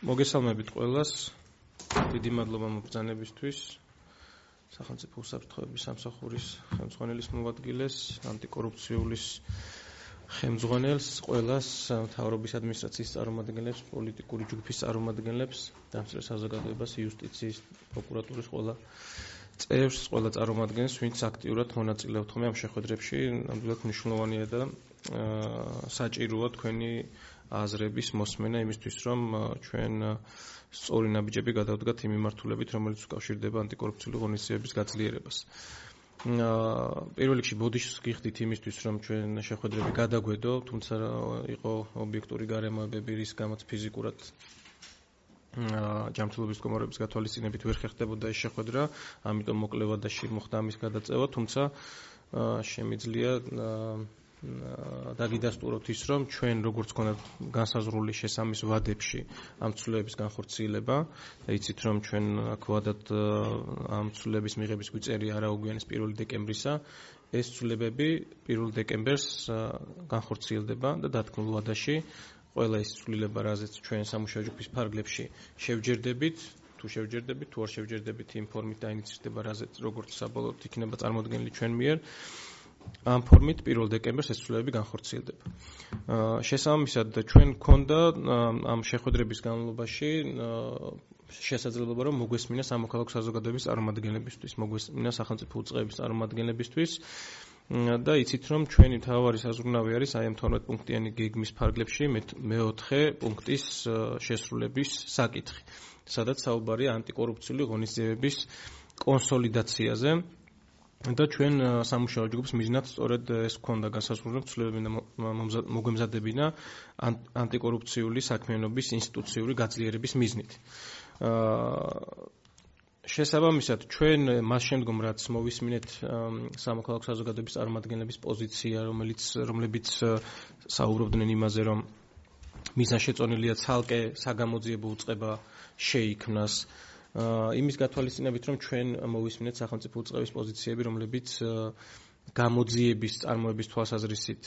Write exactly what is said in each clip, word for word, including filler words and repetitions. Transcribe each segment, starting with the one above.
მოგესალმებით ყველას. დიდი მადლობა მობრძანებისთვის. სახელმწიფო უსაფრთხოების სამსახურის ხელმძღვანელის მოადგილეს, ანტიკორუფციულის ხელმძღვანელს, ყველას, მთავრობის ადმინისტრაციის წარმომადგენლებს, პოლიტიკური ჯგუფის წარმომადგენლებს, დამსწრე საზოგადოებას, იუსტიციის, პროკურატურის ყველა წევრს, ყველა წარმომადგენელს, ვინც აქტიურად მონაწილეობთ ხოლმე ამ შეხვედრებში. ნამდვილად მნიშვნელოვანია და საჭიროა თქვენი აზრების მოსმენა იმისთვის, რომ ჩვენ სწორი ნაბიჯები გადავდგათ იმ მიმართულებით, რომელიც უკავშირდება ანტიკორუფციული ღონისძიებების გაძლიერებას. პირველ რიგში ბოდიშს გიხდით იმისთვის, რომ ჩვენ შეხვედრები გადაგვედო, თუმცა იყო ობიექტური გარემოებები, რის გამოც ფიზიკურად ჯანმრთელობის მდგომარეობის გათვალისწინებით ვერ ხერხდებოდა ეს შეხვედრა, ამიტომ მოკლე ვადაში მოხდა ამის გადაწევა, თუმცა შემიძლია დაგიდასტუროთ ის, რომ ჩვენ როგორც გქონდათ განსაზღვრული შესამის ვადებში ამ ცვლილებების განხორციელება და იცით, რომ ჩვენ აქ ვადად ამ ცვლილების მიღების გვიწერია არაუგვიანეს პირველი დეკემბრისა, ეს ცვლილებები პირველი დეკემბერს განხორციელდება და დათქმულ ვადაში ყველა ის ცვლილება, რაზეც ჩვენ სამუშაო ჯგუფის ფარგლებში შევჯერდებით, თუ შევჯერდებით, თუ არ შევჯერდებით იმ ფორმით დაინიცირდება, რაზეც როგორც საბოლოოდ იქნება წარმოდგენილი ჩვენ მიერ. ამ ფორმით პირველ დეკემბერს ეს ცვლილებები განხორციელდება. შესაბამისად, ჩვენ გქონდა ამ შეხვედრების განმავლობაში შესაძლებლობა, რომ მოგვესმინა სამოქალაქო საზოგადოების წარმომადგენლებისთვის, მოგვესმინა სახელმწიფო უწყების წარმომადგენლებისთვის და იცით, რომ ჩვენი მთავარი საზრუნავი არის აი ამ თორმეტ პუნქტიანი გეგმის ფარგლებში მეოთხე პუნქტის შესრულების საკითხი, სადაც საუბარია ანტიკორუფციული ღონისძიებების კონსოლიდაციაზე. და ჩვენ სამუშაო ჯგუფს მიზნად სწორედ ეს გქონდა განსაზღვრული, რომ ცვლილებები მოგვემზადებინა ანტიკორუფციული საქმიანობის ინსტიტუციური გაძლიერების მიზნით. შესაბამისად, ჩვენ მას შემდგომ, რაც მოვისმინეთ სამოქალაქო საზოგადოების წარმომადგენლების პოზიცია, რომელიც რომლებიც საუბრობდნენ იმაზე, რომ მიზანშეწონილია ცალკე საგამოძიებო უწყება შეიქმნას, იმის გათვალისწინებით, რომ ჩვენ მოვისმინეთ სახელმწიფო უწყების პოზიციები, რომლებიც გამოძიების წარმოების თვალსაზრისით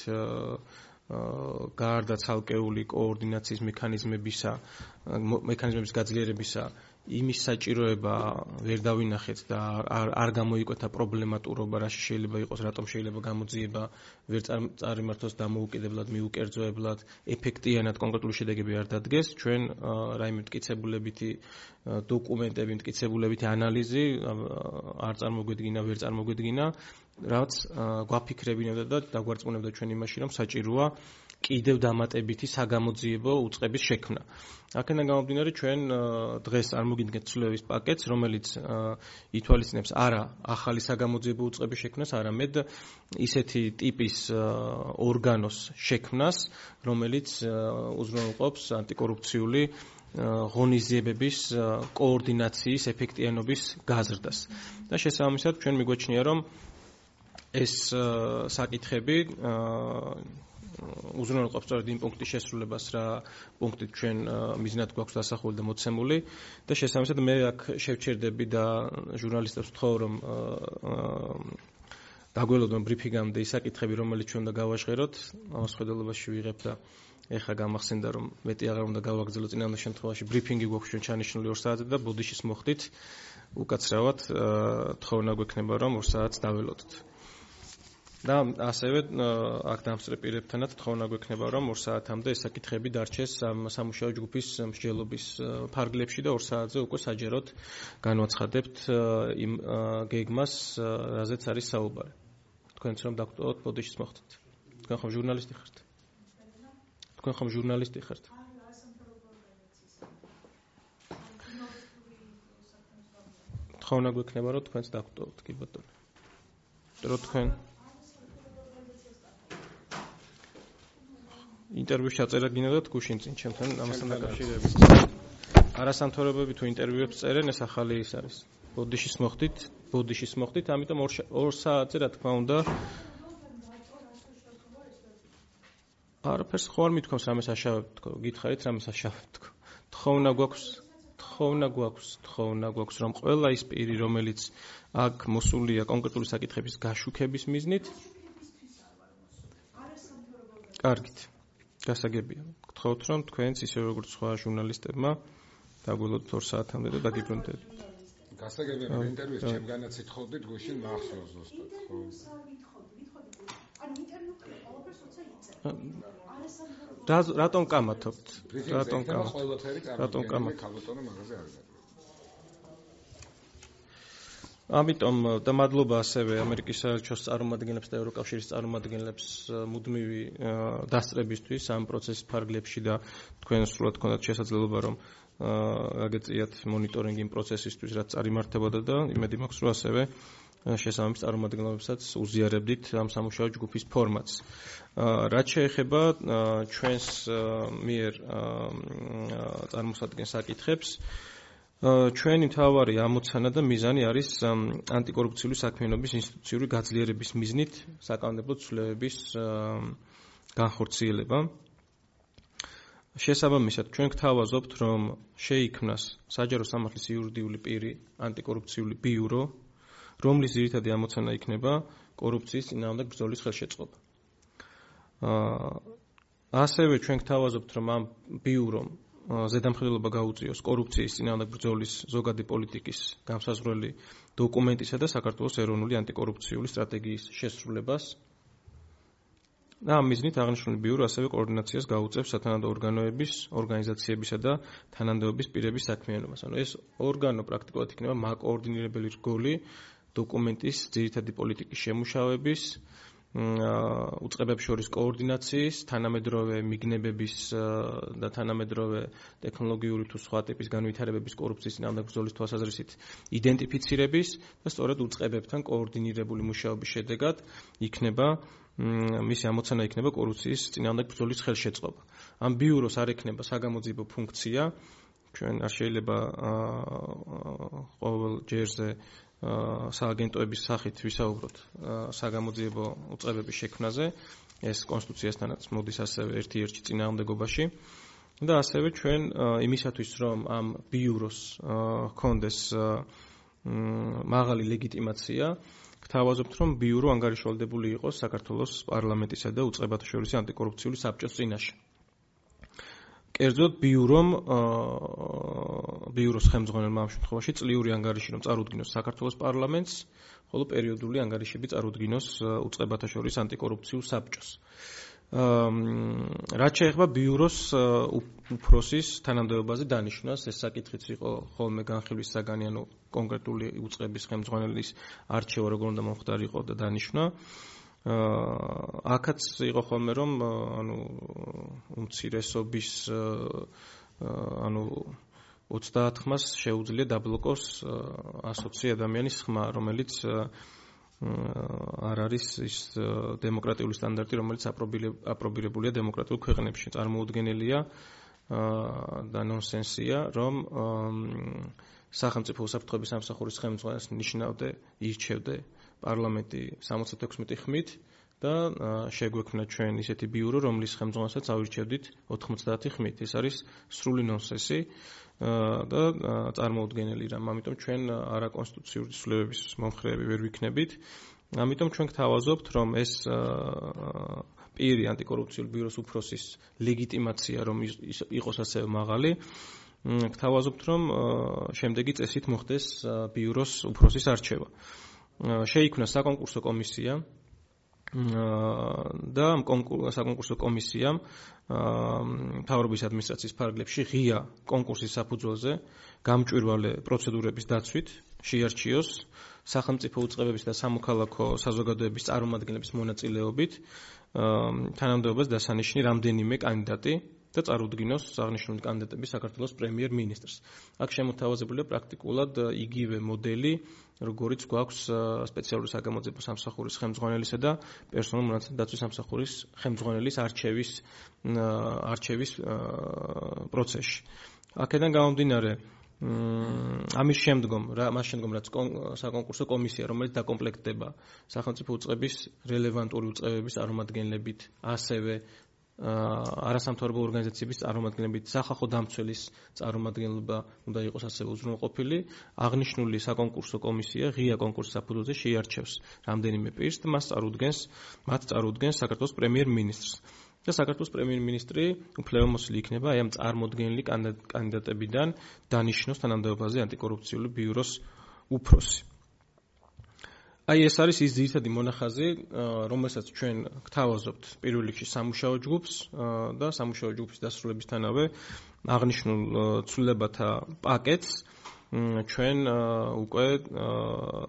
გარდა ცალკეული კოორდინაციის მექანიზმებისა, მექანიზმების გაძლიერებისა, იმის საჭიროება ვერ დავინახეთ და არ, არ გამოიკვეთა პრობლემატურობა, რაში შეიძლება იყოს, რატომ შეიძლება გამოძიება ვერ წარიმართოს დამოუკიდებლად, მიუკერძოებლად, ეფექტიანად კონკრეტული შედეგები არ დადგეს. ჩვენ რაიმე მტკიცებულებითი დოკუმენტები, მტკიცებულებითი ანალიზი არ წარმოგვედგინა, ვერ წარმოგვედგინა, რაც გვაფიქრებინებდა და დაგვარწმუნებდა ჩვენ იმაში, რომ საჭიროა კიდევ დამატებითი საგამოძიებო უწყების შექმნა. აქედან გამომდინარე, ჩვენ დღეს წარმოგიდგენთ ცვლილებების პაკეტს, რომელიც ითვალისწინებს არა ახალი საგამოძიებო უწყების შექმნას, არამედ ისეთი ტიპის ორგანოს შექმნას, რომელიც უზრუნველყოფს ანტიკორუფციული ღონისძიებების კოორდინაციის ეფექტიანობის გაზრდას. და შესაბამისად, ჩვენ მიგვაჩნია, რომ ეს საკითხები უზრუნველყოფს სწორედ იმ პუნქტის შესრულებას, რა პუნქტით ჩვენ მიზნად გვაქვს დასახული და მოცემული და შესაბამისად მე აქ შევჩერდები და ჟურნალისტებს ვთხოვ, რომ დაგველოდონ ბრიფინგამდე ის საკითხები, რომელიც ჩვენ უნდა გავაჟღეროთ, ამას ხედელობაში ვიღებ და ეხლა გამახსენდა, რომ მეტი აღარ უნდა გავაგრძელო, წინამდე შემთხვევაში ბრიფინგი გვაქვს ჩვენ ჩანიშნული ორ საათზე და ბოდიშის მოხდით უკაცრავად თხოვნა გვექნება, რომ ორ საათს დაველოდოთ. და ასევე აქ დამსწრე პირებთანაც თხოვნა გვექნება, რომ ორ საათამდე ეს საკითხები დარჩეს სამუშაო ჯგუფის მსჯელობის ფარგლებში და ორ საათზე უკვე საჯაროდ განვაცხადებთ იმ გეგმას, რაზეც არის საუბარი. თქვენც რომ დაგვტოვოთ ბოდიშის მოხდით. თქვენ ხომ ჟურნალისტი ხართ? თქვენ ხომ ჟურნალისტი ხართ? თხოვნა გვექნება, რომ თქვენც დაგვტოვოთ, კი ბატონო. რომ თქვენ ინტერვიუში აწერა გინდათ გუშინ წინ ჩემთან ამასთან დაკავშირებით. არასამთავრობოები თუ ინტერვიუებს წერენ, ეს ახალი ის არის. ბოდიშის მოხდით, ბოდიშის მოხდით, ამიტომ ორ საათზე რა თქმა უნდა არაფერს ხო არ მithქვამს, რამეს აშავებთ თქო, გითხარით რამეს აშავებთ თქო. თხოვნა გვაქვს, თხოვნა გვაქვს, თხოვნა გვაქვს, რომ ყველა ის პირი, რომელიც აქ მოსულია კონკრეტული საკითხების გაშუქების მიზნით, კარგით. გასაგებია. გთხოვთ, რომ თქვენც ისე როგორც სხვა ჟურნალისტებმა დაგველოდოთ ორ საათამდე და დაგიბრუნდეთ. გასაგებია ინტერვიუს ჩემგანაც ითხოვდით გუშინ მახსოვს ზუსტად, ხო? ანუ ინტერვიუ ყველაფერს როცა იწერ. რა რატომ კამათობთ? რატომ კამათობთ? ყველაფერი რატომ კამათობთ? ქალბატონო მაღაზია არ არის. ამიტომ და მადლობა ასევე ამერიკის საელჩოს წარმომადგენლებს და ევროკავშირის წარმომადგენლებს მუდმივი დასწრებისთვის ამ პროცესის ფარგლებში და თქვენ სრულად გქონდათ შესაძლებლობა რომ აგეწიათ მონიტორინგი იმ პროცესისთვის რაც წარიმართებოდა და იმედი მაქვს რომ ასევე შესაბამის წარმომადგენლებსაც უზიარებდით ამ სამუშაო ჯგუფის ფორმატს. რაც შეეხება ჩვენს მიერ წარმოსადგენს საკითხებს ჩვენი მთავარი ამოცანა და მიზანი არის ანტიკორუფციული საქმიანობის ინსტიტუციური გაძლიერების მიზნით საკანონმდებლო ცვლილებების განხორციელება. შესაბამისად, ჩვენ გთავაზობთ, რომ შეიქმნას საჯარო სამართლის იურიდიული პირი ანტიკორუფციული ბიურო, რომლის ძირითადი ამოცანა იქნება კორუფციის წინააღმდეგ ბრძოლის ხელშეწყობა. ასევე ჩვენ გთავაზობთ, რომ ამ ბიურომ ზედამხედველობა გაუწიოს კორუფციის წინააღმდეგ ბრძოლის ზოგადი პოლიტიკის განსაზღვრელი დოკუმენტისა და საქართველოს ეროვნული ანტიკორუფციული სტრატეგიის შესრულებას. და ამ მიზნით აღნიშნული ბიურო ასევე კოორდინაციას გაუწევს სათანადო ორგანოების, ორგანიზაციებისა და თანამდებობის პირების საქმიანობას. ანუ ეს ორგანო პრაქტიკულად იქნება მაკოორდინირებელი რგოლი დოკუმენტის ძირითადი პოლიტიკის შემუშავების, უწყებებს შორის კოორდინაციის, თანამედროვე მიგნებების და თანამედროვე ტექნოლოგიური თუ სხვა ტიპის განვითარებების კორუფციის წინააღმდეგ ბრძოლის თვალსაზრისით იდენტიფიცირების და სწორედ უწყებებთან კოორდინირებული მუშაობის შედეგად იქნება მისი ამოცანა იქნება კორუფციის წინააღმდეგ ბრძოლის ხელშეწყობა. ამ ბიუროს არ ექნება საგამოძიებო ფუნქცია, ჩვენ არ შეიძლება ყოველ ჯერზე სააგენტოების სახით ვისაუბროთ საგამოძიებო უწყებების შექმნაზე, ეს კონსტიტუციასთანაც მოდის ასევე ერთ-ერთი წინააღმდეგობაში და ასევე ჩვენ იმისათვის რომ ამ ბიუროს ჰქონდეს მაღალი ლეგიტიმაცია გთავაზობთ რომ ბიურო ანგარიშვალდებული იყოს საქართველოს პარლამენტისა და უწყებათა შორის ანტიკორუფციული საბჭოს წინაშე. კერძოდ ბიურომ ბიუროს ხელმძღვანელმა ამ შემთხვევაში წლიური ანგარიში რომ წარუდგინოს საქართველოს პარლამენტს, ხოლო პერიოდული ანგარიშები წარუდგინოს უწყებათა შორის ანტიკორუფციულ საბჭოს. რაც შეეხება ბიუროს უფროსის თანამდებობაზე დანიშვნას, ეს საკითხიც იყო ხოლმე განხილვის საგანი, ანუ კონკრეტული უწყების ხელმძღვანელის არჩევა როგორ უნდა მომხდარიყო და დანიშვნა. აქაც იყო ხოლმე რომ ანუ უმცირესობის ანუ ოცდაათ ხმას შეუძლია დაბლოკოს ასოცი ადამიანის ხმა, რომელიც არ არის ის დემოკრატიული სტანდარტი, რომელიც აპრობირებულია დემოკრატიულ ქვეყნებში. წარმოუდგენელია და ნონსენსია, რომ სახელმწიფო უსაფრთხოების სამსახურის ხელმძღვანელს ნიშნავდე, ირჩევდე პარლამენტი სამოცდათექვსმეტი ხმით და შეგვექმნა ჩვენ ისეთი ბიურო, რომლის ხელმძღვანელსაც ავირჩევდით ოთხმოცდაათი ხმით. ეს არის სრული ნონსენსი და წარმოუდგენელი რამ. ამიტომ ჩვენ არაკონსტიტუციური ცვლილებების მომხრეები ვერ ვიქნებით. ამიტომ ჩვენ გთავაზობთ, რომ ეს პირი ანტიკორუფციული ბიუროს უფროსის ლეგიტიმაცია რომ იყოს ასევე მაღალი, გთავაზობთ, რომ შემდეგი წესით მოხდეს ბიუროს უფროსის არჩევა. შეიქმნა საკონკურსო კომისია და საკონკურსო კომისიამ მთავრობის ადმინისტრაციის ფარგლებში ღია კონკურსის საფუძველზე გამჭვირვალე პროცედურების დაცვით შეარჩიოს სახელმწიფო უწყებების და სამოქალაქო საზოგადოების წარმომადგენლების მონაწილეობით თანამდებობას დასანიშნი რამდენიმე კანდიდატი და წარუდგინოს აღნიშნული კანდიდატები საქართველოს პრემიერ-მინისტრს. აქ შემოთავაზებულია პრაქტიკულად იგივე მოდელი, როგორიც გვაქვს სპეციალური საგამოძიებო სამსახურის ხელმძღვანელისა და პერსონალურ მონაცემთა დაცვის სამსახურის ხელმძღვანელის არჩევის არჩევის პროცესში. აქედან გამომდინარე, ამის შემდგომ, მას შემდგომ რაც საკონკურსო კომისია, რომელიც დაკომპლექტდება სახელმწიფო უწყების რელევანტური უწყებების წარმომადგენლებით, ასევე არასამთავრობო ორგანიზაციების წარმომადგენლებით, სახალხო დამცველის წარმომადგენლობა უნდა იყოს ასევე უზრუნველყოფილი. აღნიშნული საკონკურსო კომისია ღია კონკურსის საფუძველზე შეიარჩევს რამდენიმე პირს და მას წარუდგენს, მათ წარუდგენს საქართველოს პრემიერ-მინისტრს. და საქართველოს პრემიერ-მინისტრი უფლებამოსილი იქნება აი ამ წარმოდგენილი კანდიდატებიდან დანიშნოს თანამდებობაზე ანტიკორუფციული ბიუროს უფროსი. აი ეს არის ის ძირითადი მონახაზი, რომელსაც ჩვენ გთავაზობთ პირველ რიგში სამუშაო ჯგუფს და სამუშაო ჯგუფის დასრულებისთანავე აღნიშნულ ცვლილებათა პაკეტს ჩვენ უკვე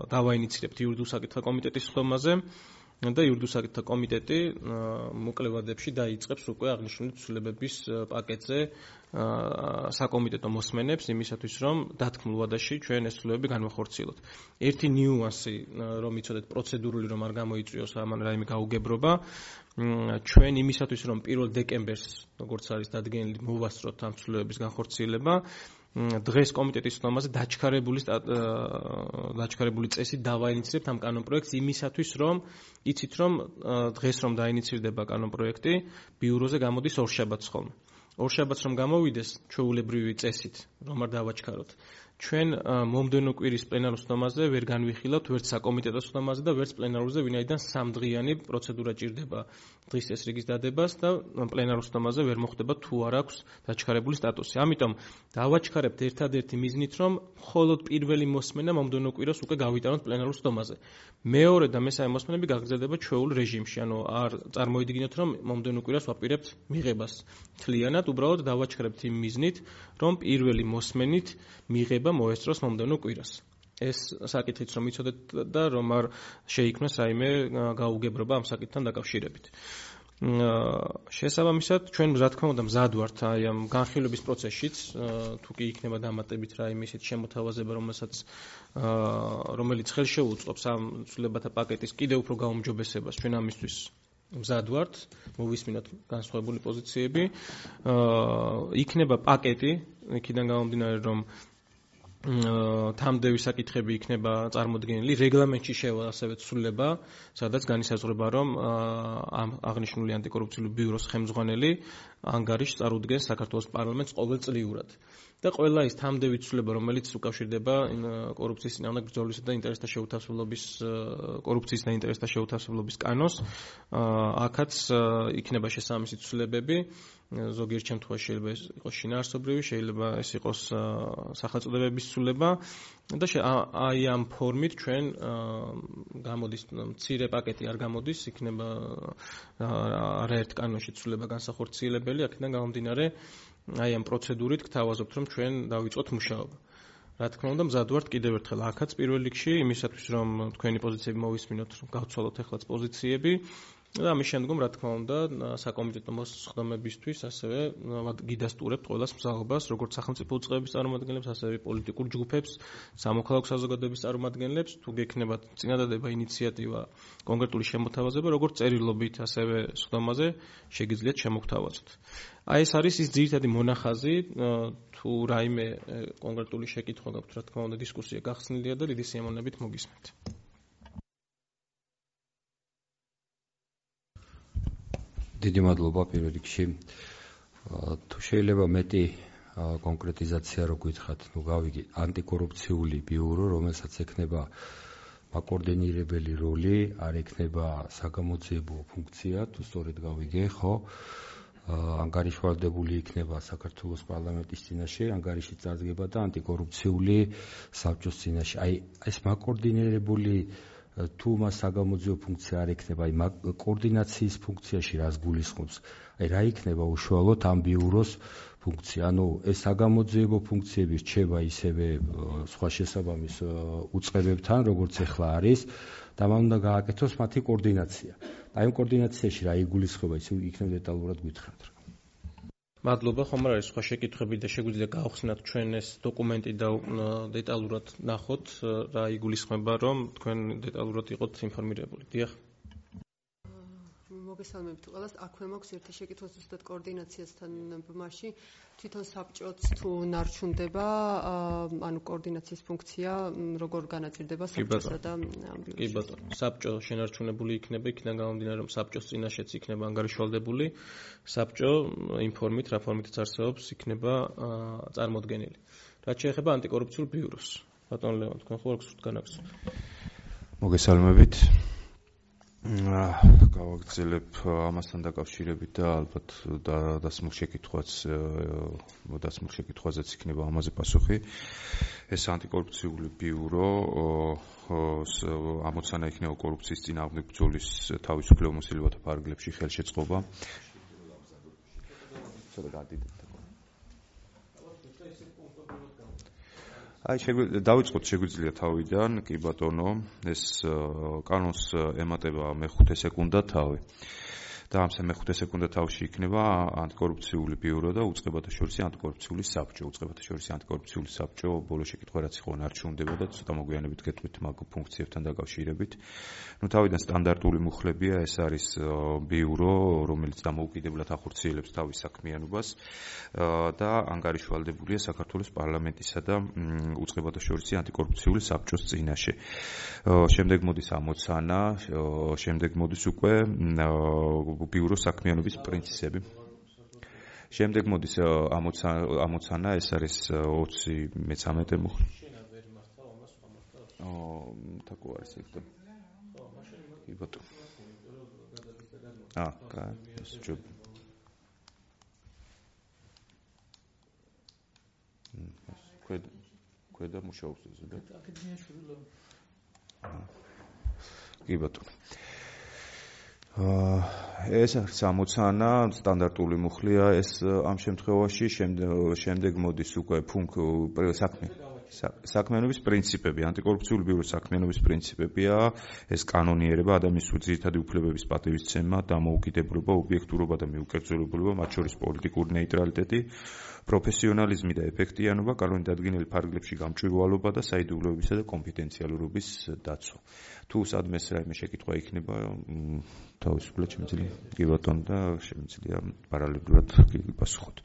დავაინიცირებთ იურიდიულ საკითხთა კომიტეტის ხდომაზე და იურიდიულ საკითხთა კომიტეტი მოკლე ვადებში დაიწყებს უკვე აღნიშნული ცვლილებების პაკეტზე საკომიტეტო მოსმენებს იმისათვის, რომ დათქმულ ვადაში ჩვენ ეს ცვლილებები განვახორციელოთ. ერთი ნიუანსი, რომ იცოდეთ პროცედურული, რომ არ გამოიწვიოს ამან რაიმე გაუგებრობა, ჩვენ იმისათვის, რომ პირველ დეკემბერს, როგორც არის დადგენილი, მოვასწროთ ამ ცვლილებების განხორციელება, დღეს კომიტეტის ხდომაზე დაჩქარებული დაჩქარებული წესით დავაინიცირებთ ამ კანონპროექტს იმისათვის, რომ იცით, რომ დღეს რომ დაინიცირდება კანონპროექტი, ბიუროზე გამოდის ორშაბათს ხოლმე. ორშაბათს რომ გამოვიდეს ჩვეულებრივი წესით, რომ არ დავაჩქაროთ. ჩვენ მომდევნო კვირის პლენარულ ხდომაზე ვერ განვიხილავთ ვერც საკომიტეტო ხდომაზე და ვერც პლენარულზე, ვინაიდან სამდღიანი პროცედურა ჭირდება დღის წესრიგის დადებას და პლენარულ ხდომაზე ვერ მოხდება თუ არ აქვს დაჩქარებული სტატუსი. ამიტომ დავაჩქარებთ ერთადერთი მიზნით, რომ მხოლოდ პირველი მოსმენა მომდევნო კვირას უკვე გავიტანოთ პლენარულ ხდომაზე. მეორე და მესამე მოსმენები გაგრძელდება ჩვეულ რეჟიმში, ანუ არ წარმოიდგინოთ, რომ მომდევნო კვირას ვაპირებთ მიღებას თლიანად, უბრალოდ დავაჩქარებთ იმ მიზნით, რომ პირველი მოსმენით მიღება მოესწროს მომდევნო კვირას. ეს საკითხიც რომ იცოდეთ და რომ არ შეიქმნას რაიმე გაუგებრობა ამ საკითხთან დაკავშირებით. შესაბამისად, ჩვენ რა თქმა უნდა მზად ვართ აი ამ განხილვების პროცესშიც, თუ კი იქნება დამატებით რაიმე ისეთ შემოთავაზება, რომელსაც რომელიც ხელშეუწყობს ამ ცვლილებათა პაკეტის კიდევ უფრო გაუმჯობესებას, ჩვენ ამისთვის მზად ვართ, მოვისმინოთ განსხვავებული პოზიციები. იქნება პაკეტი, იქიდან გამომდინარე, რომ თამდევი საკითხები იქნება წარმოდგენილი, რეგლამენტში შევა ასევე ცვლილება, სადაც განისაზღვრება, რომ ამ აღნიშნული ანტიკორუფციული ბიუროს ხელმძღვანელი ანგარიშს წარუდგენს საქართველოს პარლამენტს ყოველწლიურად. და ყველა ის თამდევი ცვლილება, რომელიც უკავშირდება კორუფციის წინააღმდეგ ბრძოლისა და ინტერესთა შეუთავსებლობის კორუფციის და ინტერესთა შეუთავსებლობის კანონს, აქაც იქნება შესაბამისი ცვლილებები. ზოგიერთ შემთხვევაში შეიძლება ეს იყოს შინაარსობრივი, შეიძლება ეს იყოს სახელწოდებების ცვლილება და აი ამ ფორმით ჩვენ გამოდის მცირე პაკეტი არ გამოდის, იქნება არაერთ კანონში ცვლილება განსახორციელებელი, აქედან გამომდინარე აი ამ პროცედურით გთავაზობთ, რომ ჩვენ დავიწყოთ მუშაობა. რა თქმა უნდა, მზად ვართ კიდევ ერთხელ აქაც პირველ რიგში იმისათვის, რომ თქვენი პოზიციები მოვისმინოთ, გავცვალოთ ახლაც პოზიციები და ამის შემდგომ, რა თქმა უნდა, საკომიტეტო მოსხდომებისთვის ასევე გიდასტურებთ ყველას მზაობას, როგორც სახელმწიფო უწყებების წარმომადგენლებს, ასევე პოლიტიკურ ჯგუფებს, სამოქალაქო საზოგადოების წარმომადგენლებს, თუ გექნებათ წინადადება, ინიციატივა, კონკრეტული შემოთავაზება, როგორც წერილობით, ასევე სხდომაზე შეგიძლიათ შემოგთავაზოთ. აი ეს არის ის ძირითადი მონახაზი, თუ რაიმე კონკრეტული შეკითხვა გაქვთ, რა თქმა უნდა, დისკუსია გახსნილია და დიდი სიამოვნებით მოგისმენთ. დიდი მადლობა პირველ რიგში. თუ შეიძლება მეტი კონკრეტიზაცია რო გითხრათ, ნუ გავიგე ანტიკორუფციული ბიურო, რომელსაც ექნება მაკოორდინირებელი როლი, არ ექნება საგამოძიებო ფუნქცია, თუ სწორედ გავიგე, ხო? ანგარიშვალდებული იქნება საქართველოს პარლამენტის წინაშე, ანგარიში წარდგება და ანტიკორუფციული საბჭოს წინაშე. აი ეს მაკოორდინირებული თუ მას საგამოძიებო ფუნქცია არ ექნება, აი კოორდინაციის ფუნქციაში რას გულისხმობს? აი რა იქნება უშუალოდ ამ ბიუროს ფუნქცია? ანუ ეს საგამოძიებო ფუნქციები რჩება ისევე სხვა შესაბამის უწყებებთან, როგორც ახლა არის, და მან უნდა გააკეთოს მათი კოორდინაცია. აი ამ კოორდინაციაში რა იგულისხმება, ისე იქნებ დეტალურად გითხრათ. მადლობა, ხომ არ არის სხვა შეკითხვები და შეგვიძლია გავხსნათ ჩვენ ეს დოკუმენტი და დეტალურად ნახოთ რა იგულისხმება, რომ თქვენ დეტალურად იყოთ ინფორმირებული. დიახ. მოგესალმებით ყველას. აქვე მაქვს ერთი შეკითხვა ზუსტად კოორდინაციასთან ბმაში. თვითონ საბჭოც თუ ნარჩუნდება, ანუ კოორდინაციის ფუნქცია როგორ განაწილდება საბჭოსა და ამბიურში? კი ბატონო, საბჭო შენარჩუნებული იქნება, იქიდან გამომდინარე, რომ საბჭოს წინაშეც იქნება ანგარიშვალდებული, საბჭო იმ ფორმით, რა ფორმითაც არსებობს, იქნება წარმოდგენილი. რაც შეეხება ანტიკორუფციულ ბიუროს. ბატონო ლევან, თქვენ ხო არ გსურთ განაგზავნოთ? მოგესალმებით. გავაგრძელებ ამასთან დაკავშირებით და ალბათ დასმულ შეკითხვაც დასმულ შეკითხვაზეც იქნება ამაზე პასუხი. ეს ანტიკორუფციული ბიურო ამოცანა იქნება კორუფციის წინააღმდეგ ბრძოლის თავისუფლება მოსილებათა ფარგლებში ხელშეწყობა. აი შეგვიძლია დავიწყოთ შეგვიძლია თავიდან, კი ბატონო, ეს კანონს ემატება მეხუთე სეკუნდა თავი. და ამ მეხუთე სეკუნდა თავში იქნება ანტიკორუფციული ბიურო და უწყებათა შორისი ანტიკორუფციული საბჭო. უწყებათა შორისი ანტიკორუფციული საბჭო ბოლო შეკითხვა რაც იყო ნარჩუნდება და ცოტა მოგვიანებით გეტყვით მაგ ფუნქციებთან დაკავშირებით. ნუ თავიდან სტანდარტული მუხლებია, ეს არის ბიურო, რომელიც დამოუკიდებლად ახორციელებს თავის საქმიანობას და ანგარიშვალდებულია საქართველოს პარლამენტისა და უწყებათა შორისი ანტიკორუფციული საბჭოს წინაშე. შემდეგ მოდის ამოცანა, შემდეგ მოდის უკვე ბიუროს საქმიანობის პრინციპები. შემდეგ მოდის ამოცანა, ეს არის ოცი მეცამეტე მუხლი. აა, თაკო არის ეს. კი ბატონო. აა, კაი, ეს ჯობ. ქვედა ქვედა მუშაობს ეს და. კი ბატონო. ეს არის ამოცანა, სტანდარტული მუხლია ეს ამ შემთხვევაში, შემდეგ მოდის უკვე საქმე საქმიანობის პრინციპები, ანტიკორუფციული ბიუროს საქმიანობის პრინციპებია, ეს კანონიერება, ადამიანის ძირითადი უფლებების პატივისცემა, დამოუკიდებლობა, ობიექტურობა და მიუკერძოლებულობა, მათ შორის პოლიტიკური ნეიტრალიტეტი, პროფესიონალიზმი და ეფექტიანობა, კანონით დადგენილი ფარგლებში გამჭვირვალობა და საიდუმლოებისა და კონფიდენციალურობის დაცვა. თუ სადმე რაიმე შეკითხვა იქნება, თავისუფლად შემიძლია კი ბატონო და შემიძლია პარალელურად გიპასუხოთ.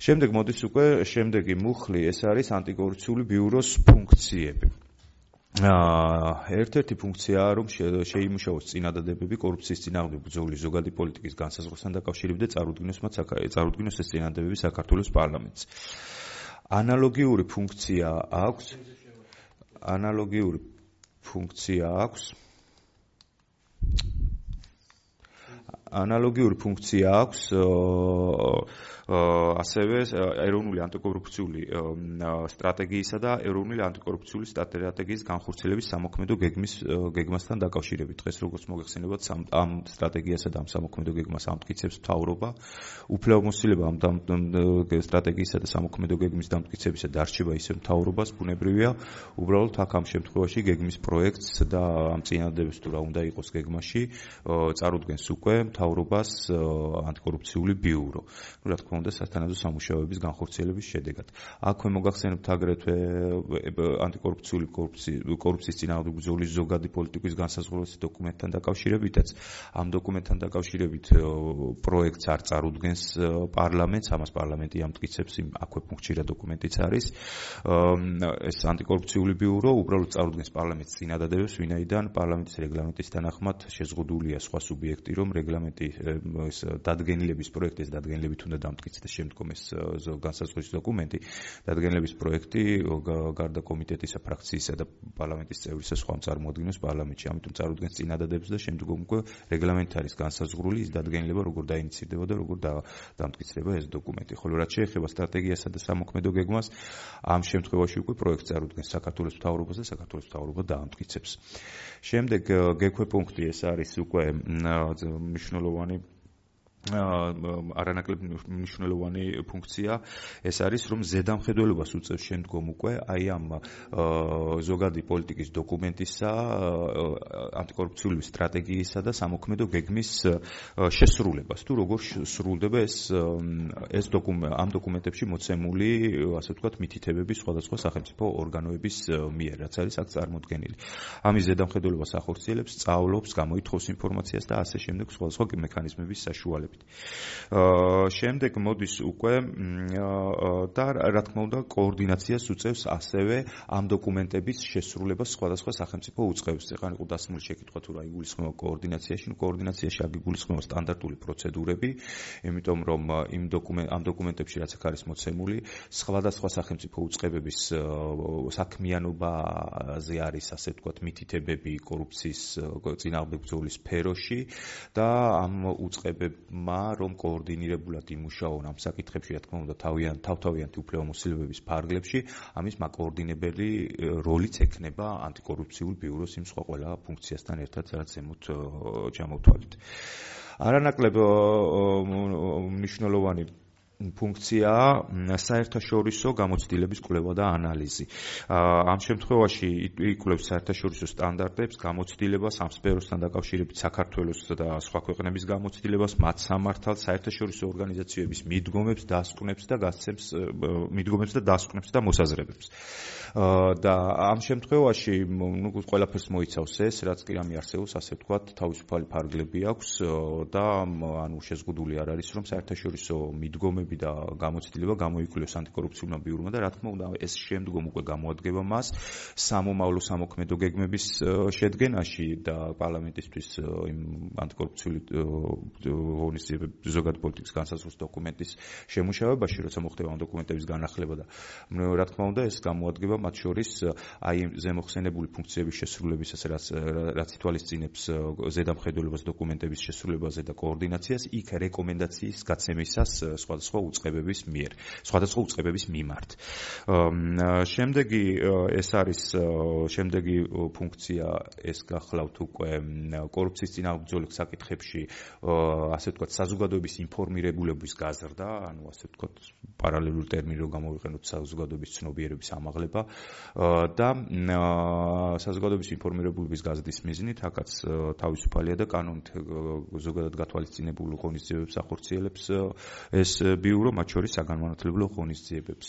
შემდეგ მოდის უკვე შემდეგი მუხლი, ეს არის ანტიკორუფციული ბიუროს ფუნქციები. ერთ-ერთი ფუნქციაა, რომ შეიმუშაოს წინადადებები კორუფციის წინააღმდეგ ბრძოლის ზოგადი პოლიტიკის განსაზღვრასთან დაკავშირებით და წარუდგინოს მათ წარუდგინოს ეს წინადადებები საქართველოს პარლამენტს. ანალოგიური ფუნქცია აქვს ანალოგიური ფუნქცია აქვს ანალოგიური ფუნქცია აქვს ასევე ეროვნული ანტიკორუფციული სტრატეგიისა და ეროვნული ანტიკორუფციული სტრატეგიის განხორციელების სამოქმედო გეგმის გეგმასთან დაკავშირებით. დღეს როგორც მოგეხსენებათ, ამ სტრატეგიასა და ამ სამოქმედო გეგმას ამტკიცებს მთავრობა. უფლებამოსილება ამ სტრატეგიისა და სამოქმედო გეგმის დამტკიცებისა დარჩება ისევ მთავრობას, ბუნებრივია, უბრალოდ აქ ამ შემთხვევაში გეგმის პროექტს და ამ წინადადებებს თუ რა უნდა იყოს გეგმაში, წარუდგენს უკვე მთავრობას ანტიკორუფციული ბიურო. ნუ რა თქმა უნდა სათანადო სამუშაოების განხორციელების შედეგად. აქვე მოგახსენებთ აგრეთვე ანტიკორუფციული კორუფციის წინააღმდეგ ბრძოლის ზოგადი პოლიტიკის განსაზღვრების დოკუმენტთან დაკავშირებითაც. ამ დოკუმენტთან დაკავშირებით პროექტს არ წარუდგენს პარლამენტს, ამას პარლამენტი ამტკიცებს, აქვე ფუნქცია დოკუმენტიც არის. ეს ანტიკორუფციული ბიურო უბრალოდ წარუდგენს პარლამენტს წინადადებებს, ვინაიდან პარლამენტის რეგლამენტის თანახმად შეზღუდულია სხვა სუბიექტი, რომ რეგლამენტი ეს დადგენილების პროექტის დადგენილებით უნდა დამტკიცდეს შემდგომ ეს განსაზღვრის დოკუმენტი. დადგენილების პროექტი გარდა კომიტეტისა, ფრაქციისა და პარლამენტის წევრისა სხვა წარმოადგენს პარლამენტში. ამიტომ წარუდგენს წინადადებებს და შემდგომ უკვე რეგლამენტი არის განსაზღვრული ის დადგენილება, როგორ დაინიცირდება და როგორ დამტკიცდება ეს დოკუმენტი. ხოლო რაც შეეხება სტრატეგიასა და სამოქმედო გეგმას, ამ შემთხვევაში უკვე პროექტს წარუდგენს საქართველოს მთავრობას და საქართველოს მთავრობა დაამტკიცებს. შემდეგ გექვე პუნქტი ეს არის უკვე მნიშვნელოვანი არანაკლებ მნიშვნელოვანი ფუნქცია. ეს არის, რომ ზედამხედველობას უწევს შემდგომ უკვე აი ამ ზოგადი პოლიტიკის დოკუმენტისა, ანტიკორუფციული სტრატეგიისა და სამოქმედო გეგმის შესრულებას. თუ როგორ სრულდება ეს ეს ამ დოკუმენტებში მოცემული, ასე ვთქვათ, მითითებები სხვადასხვა სახელმწიფო ორგანოების მიერ, რაც არის აქ წარმოდგენილი. ამის ზედამხედველობას ახორციელებს, სწავლობს, გამოითხოვს ინფორმაციას და ასე შემდეგ სხვადასხვა მექანიზმების საშუალებით. განმარტებით. შემდეგ მოდის უკვე და რა თქმა უნდა კოორდინაციას უწევს ასევე ამ დოკუმენტების შესრულებას სხვადასხვა სახელმწიფო უწყებებს. ეხლა იყო დასმული შეკითხვა თუ რა იგულისხმება კოორდინაციაში, ნუ კოორდინაციაში აგიგულისხმება სტანდარტული პროცედურები, იმიტომ რომ იმ დოკუმენტ ამ დოკუმენტებში რაც აქ არის მოცემული, სხვადასხვა სახელმწიფო უწყებების საქმიანობაზე არის ასე ვთქვათ მითითებები კორუფციის წინააღმდეგ ბრძოლის სფეროში და ამ უწყებებმა რომ კოორდინირებულად იმუშაონ ამ საკითხებში, რა თქმა უნდა, თავიანთ თავთავიანთი უფლებამოსილებების ფარგლებში, ამის მაკოორდინებელი როლიც ექნება ანტიკორუფციულ ბიუროს იმ სხვა ყველა ფუნქციასთან ერთად, რაც ზემოთ ჩამოვთვალეთ. არანაკლებ მნიშვნელოვანი ფუნქციაა საერთაშორისო გამოცდილების კვლევა და ანალიზი. ამ შემთხვევაში იკვლევს საერთაშორისო სტანდარტებს, გამოცდილებას, ამ სფეროსთან დაკავშირებით საქართველოს და სხვა ქვეყნების გამოცდილებას, მათ სამართალს, საერთაშორისო ორგანიზაციების მიდგომებს, დასკვნებს და გასცემს მიდგომებს და დასკვნებს და მოსაზრებებს. და ამ შემთხვევაში ნუ ყველაფერს მოიცავს ეს, რაც კი რამე არსებობს, ასე ვთქვათ, თავისუფალი ფარგლები აქვს და ანუ შეზღუდული არ არის, რომ საერთაშორისო მიდგომები და გამოცდილება გამოიკვლიოს ანტიკორუფციულმა ბიურომა და რა თქმა უნდა ეს შემდგომ უკვე გამოადგება მას სამომავლო სამოქმედო გეგმების შედგენაში და პარლამენტისთვის იმ ანტიკორუფციული ღონისძიებების ზოგად პოლიტიკის განსაზღვრის დოკუმენტის შემუშავებაში, როცა მოხდება ამ დოკუმენტების განახლება და რა თქმა უნდა ეს გამოადგება მათ შორის აი ზემოხსენებული ფუნქციების შესრულებისას, რაც რაც ითვალისწინებს ზედამხედველობას დოკუმენტების შესრულებაზე და კოორდინაციას, იქ რეკომენდაციის გაცემისას სხვადასხვა უწყებების მიერ, სხვადასხვა უწყებების მიმართ. შემდეგი ეს არის შემდეგი ფუნქცია ეს გახლავთ უკვე კორუფციის წინააღმდეგ ბრძოლის საკითხებში, ასე ვთქვათ, საზოგადოების ინფორმირებულების გაზრდა, ანუ ასე ვთქვათ, პარალელური ტერმინი რო გამოვიყენოთ საზოგადოების ცნობიერების ამაღლება და საზოგადოების ინფორმირებულების გაზრდის მიზნით, აქაც თავისუფალია და კანონით ზოგადად გათვალისწინებულ ღონისძიებებს ახორციელებს ეს ბიურო, მათ შორის საგანმანათლებლო ღონისძიებებს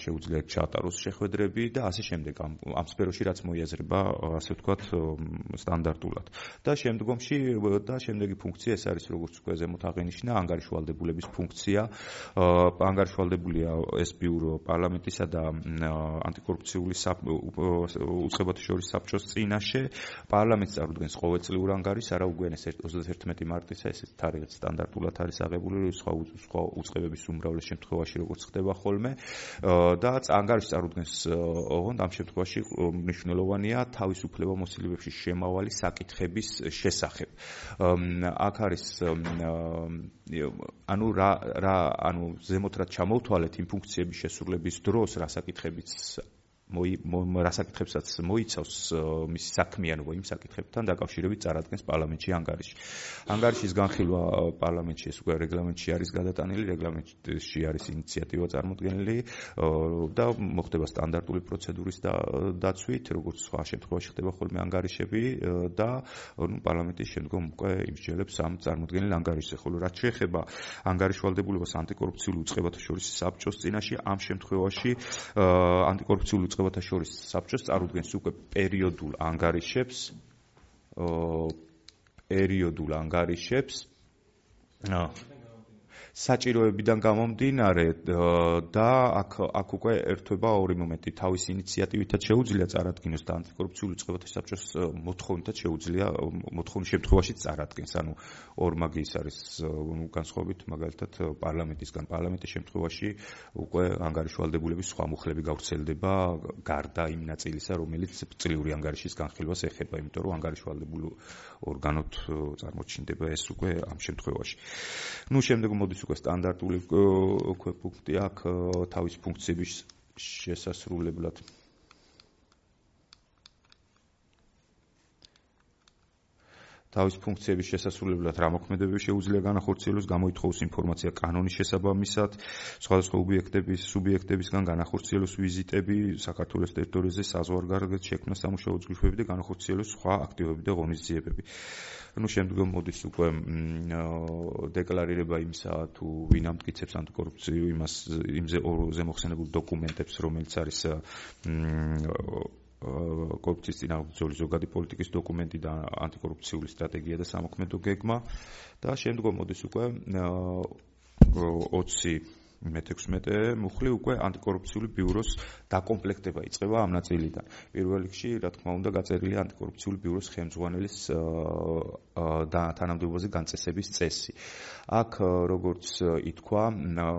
შეუძლია ჩაატაროს შეხვედრები და ასე შემდეგ ამ ამ სფეროში რაც მოიაზრება, ასე ვთქვათ, სტანდარტულად. და შემდგომში და შემდეგი ფუნქცია ეს არის როგორც უკვე ზემოთ აღინიშნა, ანგარიშვალდებულების ფუნქცია. ანგარიშვალდებულია ეს ბიურო პარლამენტისა და ანტიკორუფციული უწყებათა შორის საბჭოს წინაშე. პარლამენტს წარუდგენს ყოველწლიურ ანგარიშს, არა უგვიანეს ოცდაათი მარტისა, ეს თარიღით სტანდარტულად არის აღებული, სხვა სხვა უწყებების უმრავლეს შემთხვევაში როგორც ხდება ხოლმე და ანგარიშს წარუდგენს ოღონდ ამ შემთხვევაში მნიშვნელოვანია თავისუფლებამოსილებებში შემავალი საკითხების შესახებ. აქ არის ანუ რა რა ანუ ზემოთ რაც ჩამოვთვალეთ იმ ფუნქციების შესრულების დროს რა საკითხებიც რა საკითხებსაც მოიცავს მისი საქმიანობა იმ საკითხებთან დაკავშირებით წარადგენს პარლამენტში ანგარიში. ანგარიშის განხილვა პარლამენტში ეს უკვე რეგლამენტში არის გადატანილი, რეგლამენტში არის ინიციატივა წარმოდგენილი და მოხდება სტანდარტული პროცედურის დაცვით, როგორც სხვა შემთხვევაში ხდება ხოლმე ანგარიშები და ნუ პარლამენტის შემდგომ უკვე იმსჯელებს ამ წარმოდგენილ ანგარიშზე. ხოლო რაც შეეხება ანგარიშვალდებულებას ანტიკორუფციული უწყებათა შორის საბჭოს წინაშე, ამ შემთხვევაში ანტიკორუფციული უწყებათა შორის საბჭოს წარუდგენს უკვე პერიოდულ ანგარიშებს, პერიოდულ ანგარიშებს საჭიროებიდან გამომდინარე და აქ აქ უკვე ერთვება ორი მომენტი. თავის ინიციატივითაც შეუძლია წარადგინოს და ანტიკორუფციული უწყებათა საბჭოს მოთხოვნითაც შეუძლია მოთხოვნის შემთხვევაში წარადგენს. ანუ ორმაგი ის არის განსხვავებით მაგალითად პარლამენტისგან. პარლამენტის შემთხვევაში უკვე ანგარიშვალდებულების სხვა მუხლები გავრცელდება გარდა იმ ნაწილისა, რომელიც წლიური ანგარიშის განხილვას ეხება, იმიტომ რომ ანგარიშვალდებულ ორგანოთ წარმოჩინდება ეს უკვე ამ შემთხვევაში. ნუ შემდეგ მოდის უკვე სტანდარტული ფუნქცია აქ თავის ფუნქციების შესასრულებლად. თავის ფუნქციების შესასრულებლად რა მოქმედებები შეუძლია განახორციელოს, გამოითხოვოს ინფორმაცია კანონის შესაბამისად, სხვადასხვა ობიექტების, სუბიექტებისგან განახორციელოს ვიზიტები, საქართველოს ტერიტორიაზე საზღვარგარეთ შექმნა სამუშაო ჯგუფები და განახორციელოს სხვა აქტივობები და ღონისძიებები. ნუ შემდგომ მოდის უკვე დეკლარირება იმისა, თუ ვინ ამტკიცებს ანტიკორუფციული იმას იმზე ზემოხსენებულ დოკუმენტებს, რომელიც არის კორუფციის წინააღმდეგობის ზოგადი პოლიტიკის დოკუმენტი და ანტიკორუფციული სტრატეგია და სამოქმედო გეგმა და შემდგომ მოდის უკვე ოცი მეთექვსმეტე მუხლი უკვე ანტიკორუფციული ბიუროს დაკომპლექტება იწყება ამ ნაწილიდან. პირველ რიგში, რა თქმა უნდა, გაწერილია ანტიკორუფციული ბიუროს ხელმძღვანელის და თანამდებობაზე განწესების წესი. აქ როგორც ითქვა,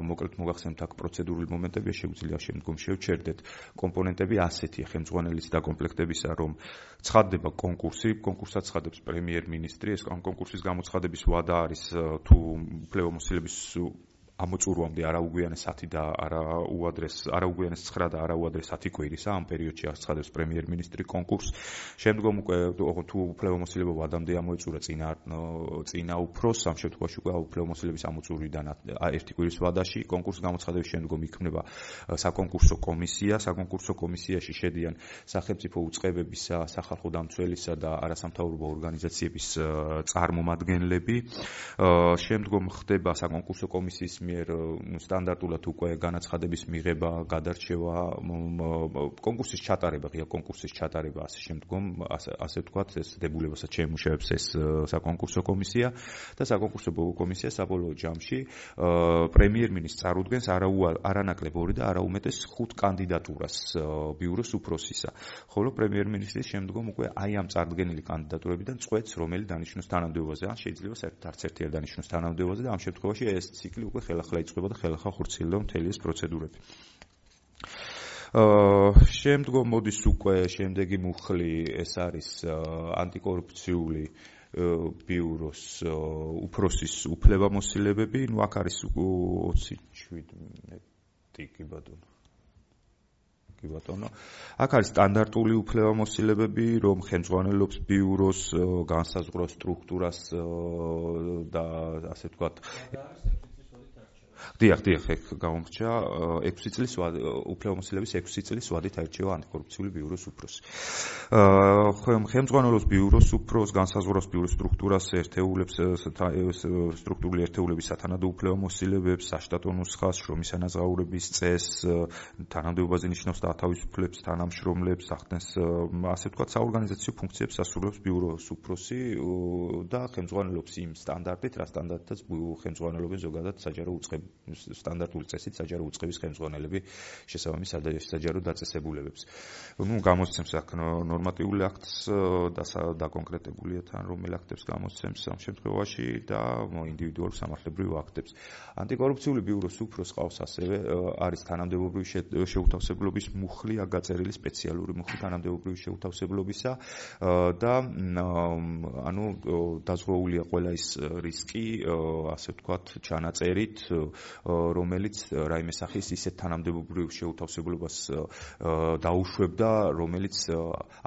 მოკლედ მოგახსენებთ, აქ პროცედურული მომენტებია, შეგვიძლია შემდგომ შევჩერდეთ. კომპონენტები ასეთია ხელმძღვანელის დაკომპლექტებისა, რომ ცხადდება კონკურსი, კონკურსად ცხადებს პრემიერ-მინისტრი, ეს კონკურსის გამოცხადების ვადა არის თუ უფლებამოსილების ამოწურვამდე არა უგვიანეს ათი და არა უადრეს არა უგვიანეს ცხრა და არა უადრეს ათი კვირისა ამ პერიოდში აღცხადებს პრემიერ-მინისტრი კონკურსს. შემდგომ უკვე თუ უფლებამოსილება ვადამდე ამოეწურა წინა წინა უფროს, ამ შემთხვევაში უკვე უფლებამოსილების ამოწურვიდან ერთი კვირის ვადაში კონკურსის გამოცხადების შემდგომ იქმნება საკონკურსო კომისია. საკონკურსო კომისიაში შედიან სახელმწიფო უწყებებისა, სახალხო დამცველისა და არასამთავრობო ორგანიზაციების წარმომადგენლები. შემდგომ ხდება საკონკურსო კომისიის მიერ სტანდარტულად უკვე განაცხადების მიღება, გადარჩევა, კონკურსის ჩატარება, ღია კონკურსის ჩატარება, ასე შემდგომ, ასე ვთქვათ, ეს დებულებასაც შეემუშავებს ეს საკონკურსო კომისია და საკონკურსო კომისია საბოლოო ჯამში პრემიერ-მინისტრს წარუდგენს არანაკლებ ორი და არაუმეტეს ხუთ კანდიდატურას ბიუროს უფროსისა. ხოლო პრემიერ-მინისტრის შემდგომ უკვე აი ამ წარდგენილი კანდიდატურებიდან წყვეტს, რომელი დანიშნოს თანამდებობაზე, ან შეიძლება საერთოდ არც ერთი არ დანიშნოს თანამდებობაზე და ამ შემთხვევაში ეს ციკლი უკვე ხელახლა იწყება და ხელახლა ხორციელდება მთელი ეს პროცედურები. შემდგომ მოდის უკვე შემდეგი მუხლი, ეს არის ანტიკორუფციული ბიუროს უფროსის უფლებამოსილებები. ნუ აქ არის ოცი შვიდმეტი კი ბატონო. კი ბატონო. აქ არის სტანდარტული უფლებამოსილებები, რომ ხელმძღვანელობს ბიუროს განსაზღვროს სტრუქტურას და ასე ვთქვათ დიახ, დიახ, ეგ გამომრჩა ექვსი წლის უფლებამოსილების ექვსი წლის ვადით აირჩევა ანტიკორუფციული ბიუროს უფროსი. ხელმძღვანელობს ბიუროს უფროს, განსაზღვროს ბიუროს სტრუქტურას, ერთეულებს, სტრუქტურული ერთეულების სათანადო უფლებამოსილებებს, საშტატო ნუსხას, შრომის ანაზღაურების წესს, თანამდებობაზე ნიშნავს დათავისუფლებს, თანამშრომლებს, ახდენს, ასე ვთქვათ, საორგანიზაციო ფუნქციებს ასრულებს ბიუროს უფროსი და ხელმძღვანელობს იმ სტანდარტით, რა სტანდარტითაც ხელმძღვანელობენ ზოგადად საჯარო უწყებები. სტანდარტული წესით საჯარო უწყების ხელმძღვანელები შესაბამის საჯარო დაწესებულებებს. ნუ გამოსცემს აქ ნორმატიული აქტს და დაკონკრეტებულია თან რომელ აქტებს გამოსცემს ამ შემთხვევაში და ინდივიდუალურ სამართლებრივ აქტებს. ანტიკორუფციული ბიუროს უფროს ყავს ასევე არის თანამდებობრივი შეუთავსებლობის მუხლი, აქ გაწერილი სპეციალური მუხლი თანამდებობრივი შეუთავსებლობისა და ანუ დაზღვეულია ყველა ის რისკი, ასე ვთქვათ, ჩანაწერით, რომელიც რაიმე სახის ისეთ თანამდებობრივ შეუთავსებლობას დაუშვებდა, რომელიც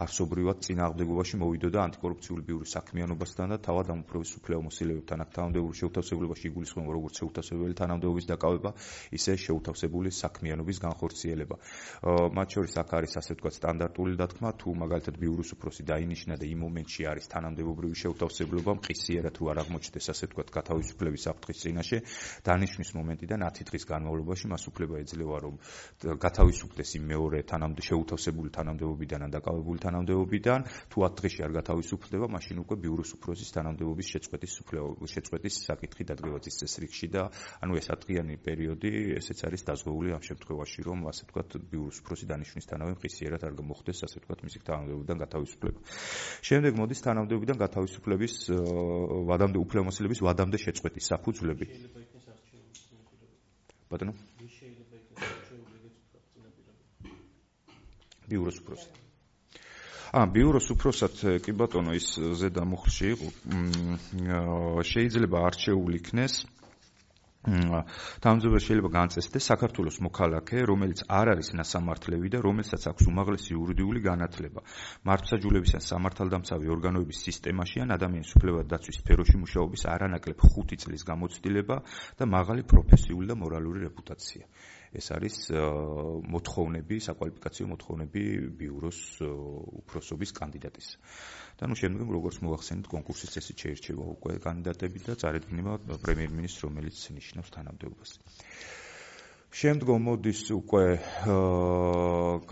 არსობრივად წინააღმდეგობაში მოვიდოდა ანტიკორუფციული ბიუროს საქმიანობასთან და თავად ამ უფროს უფლებამოსილებებთან. აქ თანამდებობრივ შეუთავსებლობაში იგულისხმება როგორც შეუთავსებელი თანამდებობის დაკავება, ისე შეუთავსებული საქმიანობის განხორციელება. მათ შორის აქ არის ასე ვთქვათ სტანდარტული დათქმა, თუ მაგალითად ბიუროს უფროსი დაინიშნა და იმ მომენტში არის თანამდებობრივი შეუთავსებლობა, მყისიერად თუ არ აღმოჩნდეს ასე ვთქვათ გათავისუფლების საფრთხის წინაშე, დანიშნვის მომენტიდან ათი დღის განმავლობაში მას უფლება ეძლევა, რომ გათავისუფლდეს იმ მეორე თანამდებობ შეუთავსებული თანამდებობიდან ან დაკავებული თანამდებობიდან, თუ ათ დღეში არ გათავისუფლდება, მაშინ უკვე ბიუროს უფროსის თანამდებობის შეწყვეტის შეწყვეტის საკითხი დადგება წესრიგის რიგში და ანუ ეს ათდღიანი პერიოდი ესეც არის დაზღვეული ამ შემთხვევაში, რომ ასე ვთქვათ ბიუროს უფროსი დანიშვნისთანავე მყისიერად არ მოხდეს ასე ვთქვათ მისი თანამდებობიდან გათავისუფლება. შემდეგ მოდის თანამდებობიდან გათავისუფლების ვადამდე უფლებამოსილების ვადამდე შეწყვეტის საფუძვლები. ბატონო ბიუროს უფროსი. ა ბიუროს უფროსად კი ბატონო ის ზედა მუხლში იყო შეიძლება არჩეული იქნეს თანამდებობა შეიძლება განწესდეს საქართველოს მოქალაქე, რომელიც არ არის ნასამართლევი და რომელსაც აქვს უმაღლესი იურიდიული განათლება. მართლმსაჯულების ან სამართალდამცავი ორგანოების სისტემაში ან ადამიანის უფლებათა დაცვის სფეროში მუშაობის არანაკლებ ხუთი წლის გამოცდილება და მაღალი პროფესიული და მორალური რეპუტაცია. ეს არის მოთხოვნები, საკვალიფიკაციო მოთხოვნები ბიუროს უფროსობის კანდიდატის. და ნუ შემდგომ როგორც მოახსენეთ, კონკურსის წესით შეირჩევა უკვე კანდიდატები და წარედგინება პრემიერ-მინისტრს, რომელიც ნიშნავს თანამდებობას. შემდგომ მოდის უკვე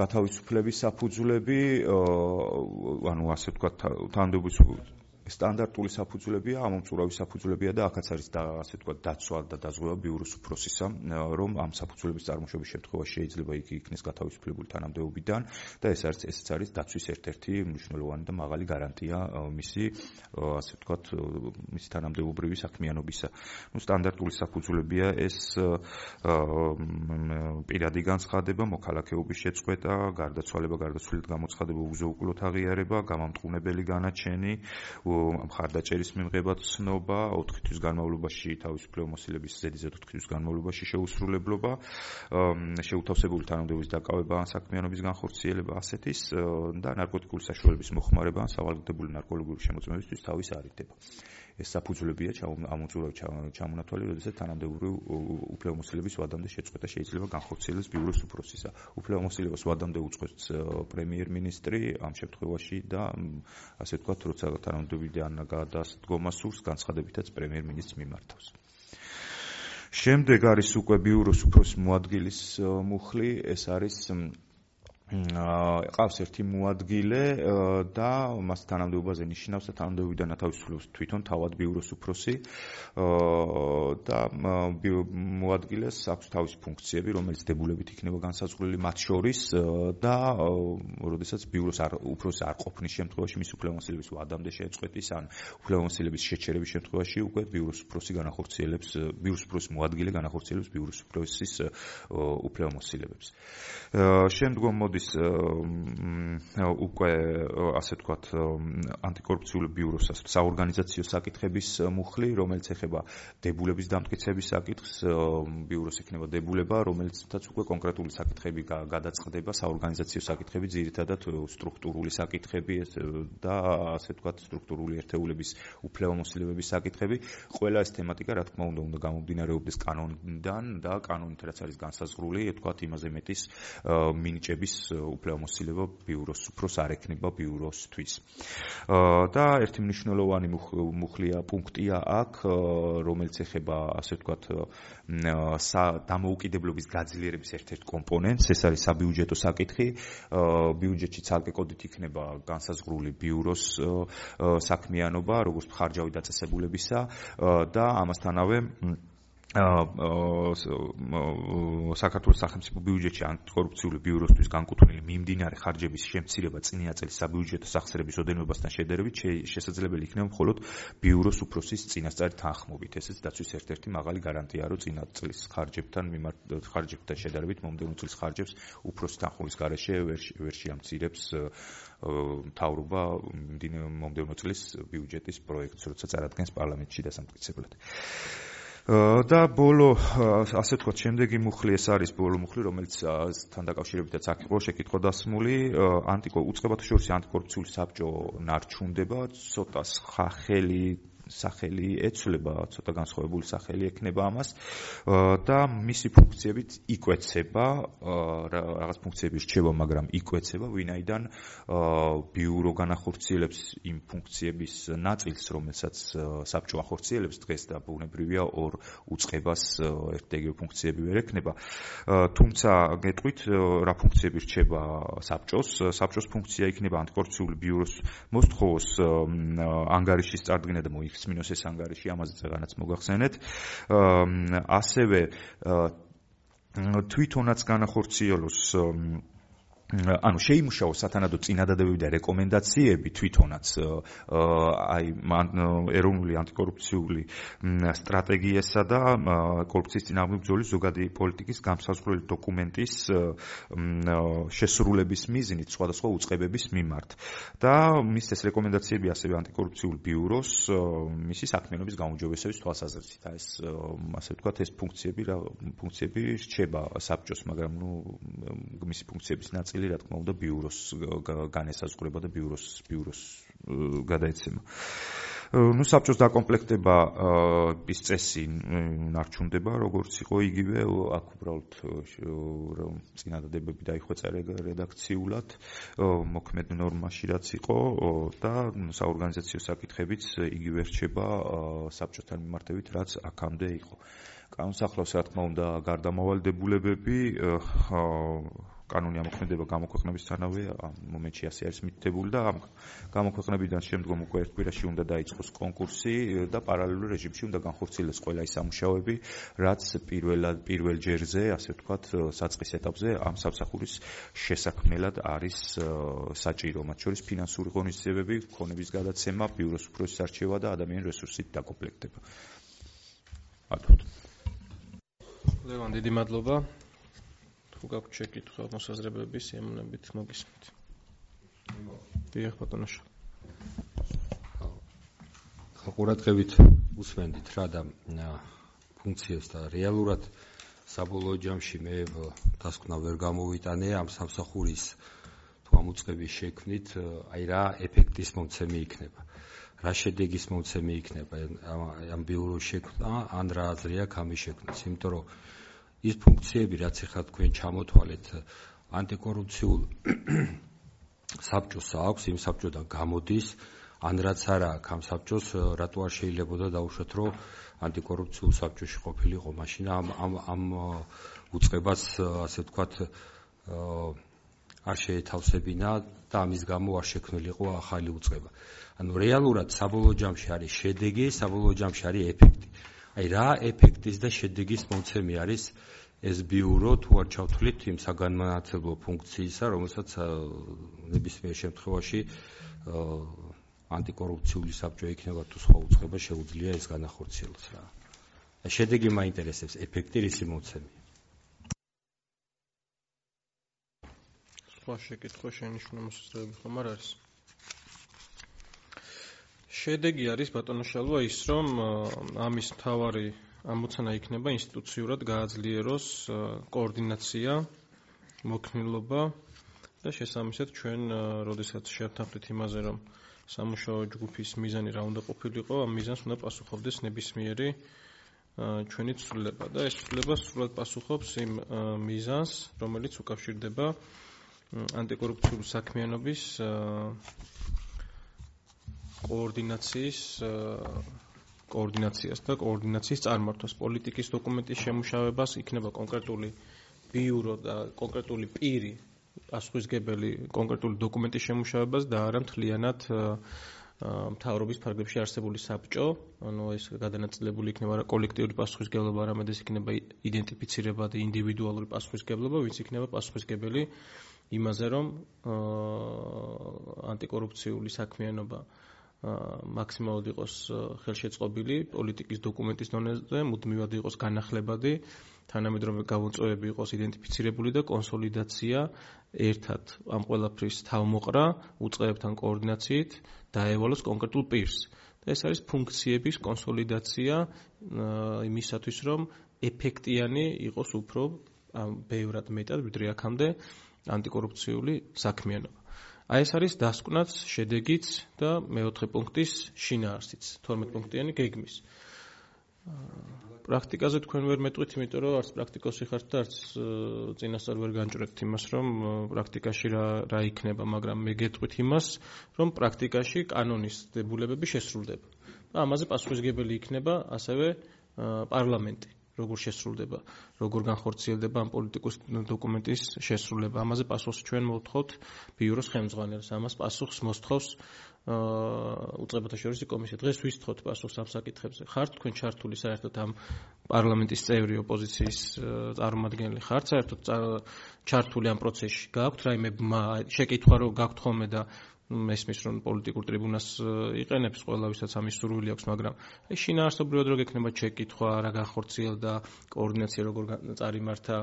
გათავისუფლების საფუძვლები, ანუ ასე ვთქვათ, თანამდებობის სტანდარტული საფუძვლებია, ამომწურავი საფუძვლებია და აქაც არის და ასე ვთქვათ დაცვა და დაზღვევა ბიუროს უფროსისა, რომ ამ საფუძვლების წარმოშობის შემთხვევაში შეიძლება იგი იქნეს გათავისუფლებული თანამდებობიდან და ეს არის ესეც არის დაცვის ერთ-ერთი მნიშვნელოვანი და მაღალი გარანტია მისი ასე ვთქვათ მისი თანამდებობრივი საქმიანობისა. ნუ სტანდარტული საფუძვლებია ეს პირადი განცხადება, მოქალაქეობის შეწყვეტა, გარდაცვალება, გარდაცვლილად გამოცხადება, უზეუკლოთ აღიარება, გამამტყუნებელი განაჩენი, მხარდაჭერის მიღება ცნობა, ოთხი თვის განმავლობაში თავისუფლებამოსილების ზედიზედ ოთხი თვის განმავლობაში შეუსრულებლობა, შეუთავსებული თანამდებობის დაკავება ან საქმიანობის განხორციელება ასეთის და ნარკოტიკული საშუალების მოხმარება ან სავალდებულო ნარკოლოგიური შემოწმებისთვის თავის არიდება. ეს საფუძვლებია ამოწურავი ჩამონათვალი, როდესაც თანამდებობრივი უფლებამოსილების ვადამდე შეწყვეტა შეიძლება განხორციელდეს ბიუროს უფროსისა. უფლებამოსილებას ვადამდე უწყვეტს პრემიერ-მინისტრი ამ შემთხვევაში და ასე ვთქვათ, როცა თანამდებობიდან გადადგომა სურს, განცხადებითაც პრემიერ-მინისტრს მიმართავს. შემდეგ არის უკვე ბიუროს უფროსის მოადგილის მუხლი, ეს არის ყავს ერთი მოადგილე და მას თანამდებობაზე ნიშნავს და თანამდებობიდან ათავისუფლებს თვითონ თავად ბიუროს უფროსი და მოადგილეს აქვს თავისი ფუნქციები, რომელიც დებულებით იქნება განსაზღვრული მათ შორის და როდესაც ბიუროს უფროსი არ ყოფნის შემთხვევაში მის უფლებამოსილების ვადამდე შეწყვეტის ან უფლებამოსილების შეჩერების შემთხვევაში უკვე ბიუროს უფროსი განახორციელებს ბიუროს უფროსის მოადგილე განახორციელებს ბიუროს უფროსის უფლებამოსილებებს. შემდგომ მოდის უკვე ასე ვთქვათ ანტიკორუფციული ბიუროს საორგანიზაციო საკითხების მუხლი, რომელიც ეხება დებულების დამტკიცების საკითხს, ბიუროს ექნება დებულება, რომელიცაც უკვე კონკრეტული საკითხები გადაწყდება, საორგანიზაციო საკითხები, ძირითადად სტრუქტურული საკითხები და ასე ვთქვათ სტრუქტურული ერთეულების უფლებამოსილებების საკითხები. ყველა ეს თემატიკა, რა თქმა უნდა, უნდა გამომდინარეობდეს კანონიდან და კანონით რაც არის განსაზღვრული, ვთქვათ იმაზე მეტის მინიჭების უფლებამოსილება ბიუროს უფროს არ ექნება ბიუროსთვის. და ერთი მნიშვნელოვანი მუხლია პუნქტია აქ, რომელიც ეხება ასე ვთქვათ დამოუკიდებლობის გაძლიერების ერთ-ერთ კომპონენტს, ეს არის საბიუჯეტო საკითხი. ბიუჯეტში ცალკე კოდით იქნება განსაზღვრული ბიუროს საქმიანობა, როგორც მხარჯავი დაწესებულებისა და ამასთანავე საქართველოს სახელმწიფო ბიუჯეტში ანტიკორუფციული ბიუროსთვის განკუთვნილი მიმდინარე ხარჯების შემცირება წინა წლის საბიუჯეტო სახსრების ოდენობასთან შედარებით შესაძლებელი იქნება მხოლოდ ბიუროს უფროსის წინასწარი თანხმობით. ესეც დაცვის ერთ-ერთი მაღალი გარანტია, რომ წინა წლის ხარჯებთან მიმართ ხარჯებთან შედარებით მომდევნო წლის ხარჯებს უფროსის თანხმობის გარეშე ვერ შეამცირებს მთავრობა მომდევნო წლის ბიუჯეტის პროექტს, როცა წარადგენს პარლამენტში დასამტკიცებლად. და ბოლო ასე ვთქვათ შემდეგი მუხლი ეს არის ბოლო მუხლი, რომელიც თან დაკავშირებითაც აქ იყო შეკითხვა დასმული, ანტიკო უწყებათა შორის ანტიკორუფციული საბჭო ნარჩუნდება, ცოტა სახელი სახელი ეცვლება, ცოტა განსხვავებული სახელი ექნება ამას და მისი ფუნქციებით იკვეცება, რაღაც ფუნქციები რჩება, მაგრამ იკვეცება, ვინაიდან ბიურო განახორციელებს იმ ფუნქციების ნაწილს, რომელსაც საბჭო ახორციელებს დღეს და ბუნებრივია ორ უწყებას ერთ-ეგივე ფუნქციები ვერ ექნება. თუმცა გეტყვით, რა ფუნქციები რჩება საბჭოს, საბჭოს ფუნქცია იქნება ანტიკორუფციული ბიუროს მოსთხოვოს ანგარიშის წარდგენა და მოიხსნას მინოს ეს ანგარიში, ამაზე წეგანაც მოგახსენეთ. ასევე თვითონაც განახორციელოს ანუ შეიმუშაოს სათანადო წინადადებები და რეკომენდაციები თვითონაც აი ეროვნული ანტიკორუფციული სტრატეგიასა და კორუფციის წინააღმდეგ ბრძოლის ზოგადი პოლიტიკის გამსაზღვრელი დოკუმენტის შესრულების მიზნით სხვადასხვა უწყებების მიმართ. და მის ეს რეკომენდაციები ასევე ანტიკორუფციული ბიუროს მისი საქმიანობის გაუმჯობესების თვალსაზრისით. ეს ასე ვთქვათ, ეს ფუნქციები რა ფუნქციები რჩება საბჭოს, მაგრამ ნუ მისი ფუნქციების ნაწილი რა თქმა უნდა ბიუროს განესაზღვრება და ბიუროს ბიუროს გადაეცემა. ნუ საბჭოს დაკომპლექტება ის წესი ნარჩუნდება, როგორც იყო იგივე, აქ უბრალოდ წინადადებები დაიხვეწა რედაქციულად, მოქმედ ნორმაში რაც იყო და საორგანიზაციო საკითხებიც იგივე რჩება საბჭოსთან მიმართებით, რაც აქამდე იყო. კანონსახლავს რა თქმა უნდა გარდამავალდებულებები კანონი ამოქმედება გამოქვეყნებისთანავე ამ მომენტში ასე არის მითითებული და ამ გამოქვეყნებიდან შემდგომ უკვე ერთ კვირაში უნდა დაიწყოს კონკურსი და პარალელურ რეჟიმში უნდა განხორციელდეს ყველა ის სამუშაოები, რაც პირველად პირველ ჯერზე, ასე ვთქვათ, საწყის ეტაპზე ამ სამსახურის შესაქმნელად არის საჭირო, მათ შორის ფინანსური ღონისძიებები, ქონების გადაცემა, ბიუროს უფროსის არჩევა და ადამიანური რესურსით დაკომპლექტება. ათოდ. ლევან, დიდი მადლობა. თუ გაქვთ შეკითხვა მოსაზრებები, სიამოვნებით მოგისმით. დიახ, ბატონო. ყურადღებით უსმენდით რა და ფუნქციებს და რეალურად საბოლოო ჯამში მე დასკვნა ვერ გამოვიტანე ამ სამსახურის თუ ამ უწყების შექმნით, აი რა ეფექტის მომცემი იქნება. რა შედეგის მომცემი იქნება ამ ბიუროს შექმნა, ან რა აზრი აქვს ამის შექმნას, იმიტომ რომ ის ფუნქციები, რაც ახლა თქვენ ჩამოთვალეთ, ანტიკორუფციულ საბჭოს აქვს, იმ საბჭოდან გამოდის, ან რაც არა აქვს ამ საბჭოს, რატო არ შეიძლებოდა დაუშვათ, რომ ანტიკორუფციულ საბჭოში ყოფილიყო, მაშინ ამ ამ ამ უწყებას, ასე ვთქვათ, არ შეეთავსებინა და ამის გამო არ შექმნილიყო ახალი უწყება. ანუ რეალურად საბოლოო ჯამში არის შედეგი, საბოლოო ჯამში არის ეფექტი. აი რა ეფექტის და შედეგის მომცემი არის ეს ბიურო, თუ არ ჩავთვლით იმ საგანმანათლებლო ფუნქციისა, რომელსაც ნებისმიერ შემთხვევაში ანტიკორუფციული საბჭო იქნება თუ სხვა უწყება შეუძლია ეს განახორციელოს რა. შედეგი მაინტერესებს, ეფექტი რისი მომცემია. სხვა შეკითხვა შენიშვნა მოსაზრებები ხომ არ არის? შედეგი არის ბატონო შალვა ის, რომ ამის მთავარი ამოცანა იქნება ინსტიტუციურად გააძლიეროს კოორდინაცია, მოქნილობა და შესაბამისად ჩვენ როდესაც შევთანხმდით იმაზე, რომ სამუშაო ჯგუფის მიზანი რა უნდა ყოფილიყო, ამ მიზანს უნდა პასუხობდეს ნებისმიერი ჩვენი ცვლილება და ეს ცვლილება სრულად პასუხობს იმ მიზანს, რომელიც უკავშირდება ანტიკორუფციული საქმიანობის კოორდინაციის კოორდინაციას და კოორდინაციის წარმართვას, პოლიტიკის დოკუმენტის შემუშავებას, იქნება კონკრეტული ბიურო და კონკრეტული პირი პასუხისმგებელი კონკრეტული დოკუმენტის შემუშავებას და არა მთლიანად მთავრობის ფარგლებში არსებული საბჭო, ანუ ეს გადანაწილებული იქნება არა კოლექტიური პასუხისმგებლობა, არამედ ეს იქნება იდენტიფიცირება და ინდივიდუალური პასუხისმგებლობა, ვინც იქნება პასუხისმგებელი იმაზე, რომ ანტიკორუფციული საქმიანობა მაქსიმალურად იყოს ხელშეწყობილი, პოლიტიკის დოკუმენტის დონეზე მუდმივად იყოს განახლებადი, თანამედროვე გამოწვევები იყოს იდენტიფიცირებული და კონსოლიდაცია ერთად ამ ყველაფრის თავმოყრა უწყებებთან კოორდინაციით დაევალოს კონკრეტულ პირს. და ეს არის ფუნქციების კონსოლიდაცია იმისათვის, რომ ეფექტიანი იყოს უფრო ბევრად მეტად ვიდრე აქამდე ანტიკორუფციული საქმიანობა. აი ეს არის დასკვნაც, შედეგიც და მეოთხე პუნქტის შინაარსიც, თორმეტ პუნქტიანი გეგმის. პრაქტიკაზე თქვენ ვერ მეტყვით, იმიტომ რომ არც პრაქტიკოსი ხართ და არც წინასწარ ვერ განჭრეთ იმას, რომ პრაქტიკაში რა რა იქნება, მაგრამ მე გეტყვით იმას, რომ პრაქტიკაში კანონის დებულებები შესრულდება. და ამაზე პასუხისმგებელი იქნება ასევე პარლამენტი. როგორ შესრულდება, როგორ განხორციელდება ამ პოლიტიკის დოკუმენტის შესრულება. ამაზე პასუხს ჩვენ მოვთხოვთ ბიუროს ხელმძღვანელს. ამას პასუხს მოსთხოვს უწყებათა შორისი კომისია. დღეს ვისთხოვთ პასუხს ამ საკითხებზე. ხართ თქვენ ჩართული საერთოდ ამ პარლამენტის წევრი ოპოზიციის წარმომადგენელი ხართ საერთოდ ჩართული ამ პროცესში? გააქვთ რაიმე შეკითხვა რომ გაქვთ ხოლმე და მესმის რომ პოლიტიკურ ტრიბუნას იყენებს ყველა ვისაც ამის სურვილი აქვს, მაგრამ აი შინაარსობრივად რო გექნება შეკითხვა, რა განხორციელდა, კოორდინაცია როგორ წარიმართა,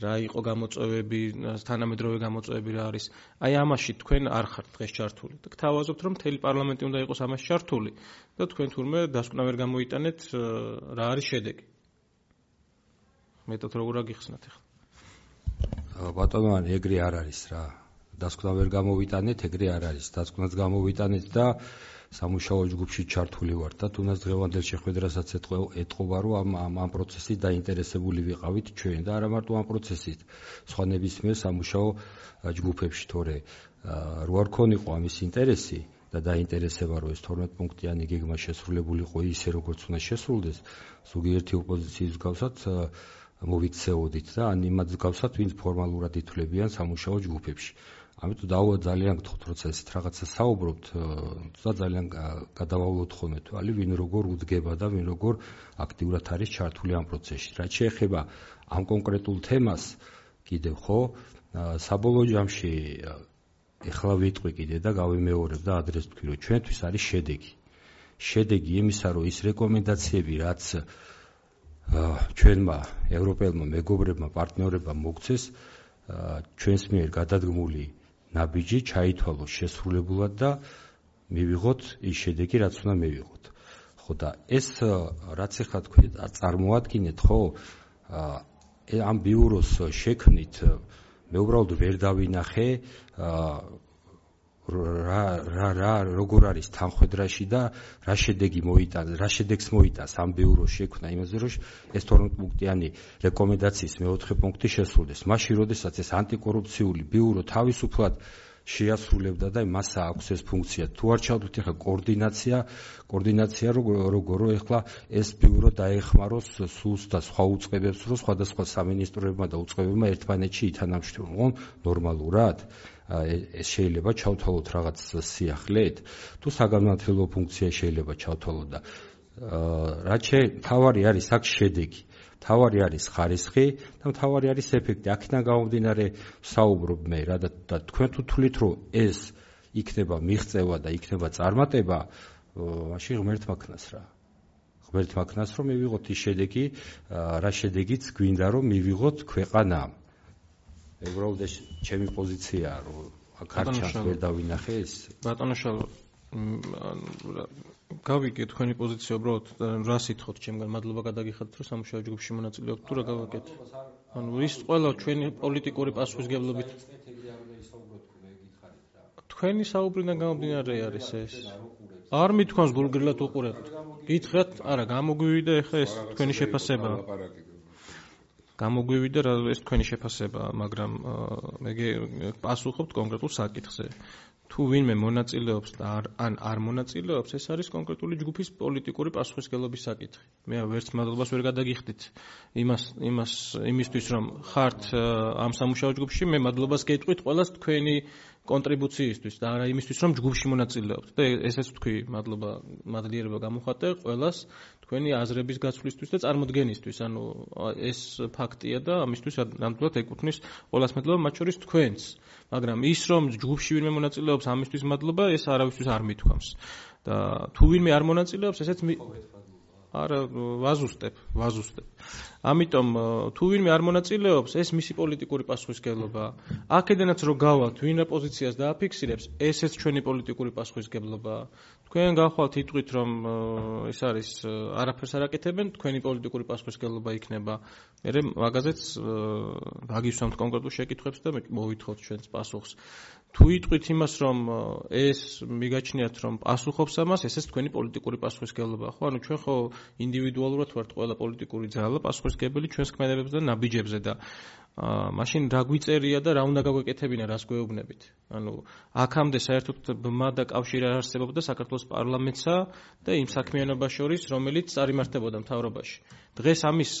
რა იყო გამოწვევები, თანამედროვე გამოწვევები რა არის. აი ამაში თქვენ არ ხართ დღეს ჩართული. და გთავაზობთ რომ მთელი პარლამენტი უნდა იყოს ამაში ჩართული და თქვენ თურმე დასკვნა ვერ გამოიტანეთ რა არის შედეგი. მეტად როგორ აგიხსნათ ახლა? ბატონო, ეგრე არ არის რა. დასკვნა ვერ გამოვიტანეთ, ეგრე არ არის. დასკვნაც გამოვიტანეთ და სამუშაო ჯგუფში ჩართული ვარ და თუნდაც დღევანდელ შეხვედრასაც ეთყობა, რომ ამ ამ პროცესით დაინტერესებული ვიყავით ჩვენ და არა მარტო ამ პროცესით, სხვა ნებისმიერ სამუშაო ჯგუფებში, თორე რო არ ქონიყო ამის ინტერესი და დაინტერესება რომ ეს თორმეტ პუნქტიანი გეგმა შესრულებულიყო ისე როგორც უნდა შესრულდეს, ზოგიერთი ოპოზიციის მსგავსად მოვიქცეოდით და ან იმათ მსგავსად, ვინც ფორმალურად ითვლებიან სამუშაო ჯგუფებში. ამიტომ დაუვა ძალიან გთხოვთ, როცა ესეთ რაღაცა საუბრობთ, და ძალიან გადავავლოთ ხოლმე თვალი, ვინ როგორ უძგება და ვინ როგორ აქტიურად არის ჩართული ამ პროცესში. რაც შეეხება ამ კონკრეტულ თემას, კიდევ ხო, საბოლოო ჯამში ეხლა ვიტყვი კიდე და გავიმეორებ და ადრეს ვთქვი, რომ ჩვენთვის არის შედეგი. შედეგი იმისა, რომ ის რეკომენდაციები, რაც ჩვენმა ევროპელმა მეგობრებმა, პარტნიორებმა მოგცეს, ჩვენს მიერ გადადგმული ნაბიჯი ჩაითვალოს შესრულებულად და მივიღოთ ის შედეგი, რაც უნდა მივიღოთ. ხო და ეს რაც ახლა თქვი წარმოადგინეთ, ხო, ამ ბიუროს შექმნით მე უბრალოდ ვერ დავინახე რა რა რა როგორ არის თანხმედრაში და რა შედეგი მოიტანს, რა შედეგს მოიტანს ამ ბიუროს შექმნა იმაზე, რომ ეს თორმეტ პუნქტიანი რეკომენდაციის მეოთხე პუნქტი შესრულდეს. მაშინ, როდესაც ეს ანტიკორუფციული ბიურო თავისუფლად შეასრულებდა და მას აქვს ეს ფუნქცია. თუ არ ჩავდით ახლა კოორდინაცია, კოორდინაცია როგორ რომ ახლა ეს ბიურო დაეხმაროს სულს და სხვა უწყებებს, რომ სხვადასხვა სამინისტროებმა და უწყებებმა ერთმანეთში ითანამშრომლონ ნორმალურად. ეს შეიძლება ჩავთვალოთ რაღაც სიახლეთ, თუ საგანმანათლებლო ფუნქცია შეიძლება ჩავთვალოთ და რაც თავარი არის აქ შედეგი. თავარი არის ხარისხი და თავარი არის ეფექტი. აქედან გამომდინარე საუბრობ მე რა და თქვენ თუ თვლით, რომ ეს იქნება მიღწევა და იქნება წარმატება, მაშინ ღმერთმა ქნას რა. ღმერთმა ქნას რომ მივიღოთ ის შედეგი, რა შედეგიც გვინდა რომ მივიღოთ ქვეყანამ. მე უბრალოდ ეს ჩემი პოზიციაა, რომ აქ არ ჩანს ვერ დავინახე ეს. ბატონო შალო, გავიგე თქვენი პოზიცია, უბრალოდ რა სიტყვით ჩემგან მადლობა გადაგიხადეთ, რომ სამუშაო ჯგუფში მონაწილეობთ, თუ რა გავაკეთე. ანუ ის ყველა ჩვენი პოლიტიკური პასუხისმგებლობით თქვენი საუბრიდან გამომდინარე არის ეს. არ მithქვამს გულგრილად უყურებთ. გითხრათ, არა, გამოგვივიდა ეხლა ეს თქვენი შეფასება. გამოგვივიდა რა ეს თქვენი შეფასება, მაგრამ მე პასუხობთ კონკრეტულ საკითხზე. თუ ვინმე მონაწილეობს და ან არ მონაწილეობს, ეს არის კონკრეტული ჯგუფის პოლიტიკური პასუხისმგებლობის საკითხი. მე ვერც მადლობას ვერ გადაგიხდით იმას იმას იმისთვის, რომ ხართ ამ სამუშაო ჯგუფში, მე მადლობას გეტყვით ყველას თქვენი კონტრიბუციისთვის და არა იმისთვის, რომ ჯგუფში მონაწილეობთ. და ესეც ვთქვი, მადლობა, მადლიერება გამოვხატე ყველას თქვენი აზრების გაცვლისთვის და წარმოდგენისთვის. ანუ ეს ფაქტია და ამისთვის ნამდვილად ეკუთვნის ყველას მადლობა, მათ შორის თქვენს. მაგრამ ის რომ ჯგუფში ვინმე მონაწილეობს, ამისთვის მადლობა, ეს არავისთვის არ მithქვამს. და თუ ვინმე არ მონაწილეობს, ესეც არა ვაზუსტებ, ვაზუსტებ. ამიტომ თუ ვინმე არ მონაწილეობს, ეს მისი პოლიტიკური პასუხისმგებლობაა. აქედანაც რო გავალთ, ვინ რა პოზიციას დააფიქსირებს, ესეც ჩვენი პოლიტიკური პასუხისმგებლობაა. თქვენ გახვალთ იტყვით, რომ ეს არის არაფერს არ აკეთებენ, თქვენი პოლიტიკური პასუხისმგებლობა იქნება. მე მაგაზეც ვაგისვამთ კონკრეტულ შეკითხვებს და მოვითხოვთ ჩვენს პასუხს. თუ იტყვით იმას, რომ ეს მიგაჩნიათ, რომ პასუხობს ამას, ესეც თქვენი პოლიტიკური პასუხისმგებლობაა. ხო, ანუ ჩვენ ხო ინდივიდუალურად ვართ ყველა პოლიტიკური ძალა პასუხისმგებელი ჩვენს ქმედებებზე და ნაბიჯებზე და მაშინ რა გვიწერია და რა უნდა გაგვეკეთებინა, რას გვეუბნებით. ანუ აქამდე საერთოდ ბმა და კავშირი არ არსებობდა საქართველოს პარლამენტსა და იმ საქმიანობას შორის, რომელიც წარიმართებოდა მთავრობაში. დღეს ამის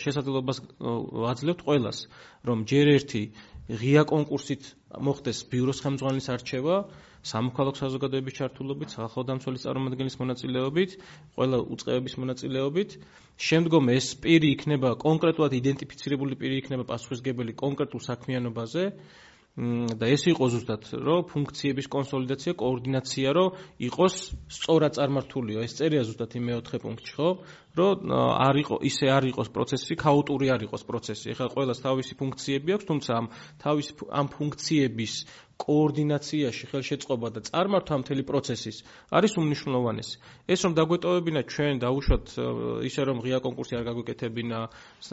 შესაძლებლობას ვაძლევთ ყველას, რომ ჯერ ერთი ღია კონკურსით მოხდეს ბიუროს ხელმძღვანელის არჩევა, სამოქალაქო საზოგადოების ჩართულობით, სახალხო დამცველის წარმომადგენლის მონაწილეობით, ყველა უწყებების მონაწილეობით. შემდგომ ეს პირი იქნება კონკრეტულად იდენტიფიცირებული პირი იქნება პასუხისმგებელი კონკრეტულ საქმიანობაზე და ეს იყო ზუსტად, რომ ფუნქციების კონსოლიდაცია, კოორდინაცია, რომ იყოს სწორად წარმართულიო. ეს წერია ზუსტად იმ მეოთხე პუნქტში, ხო? რომ არ იყო ისე არ იყოს პროცესი, ქაოტური არ იყოს პროცესი. ეხლა ყველას თავისი ფუნქციები აქვს, თუმცა ამ თავისი ამ ფუნქციების კოორდინაციაში ხელშეწყობა და წარმართვა მთელი პროცესის არის უმნიშვნელოვანესი. ეს რომ დაგვეტოვებინა ჩვენ დაუშვათ ისე რომ ღია კონკურსი არ გაგვეკეთებინა,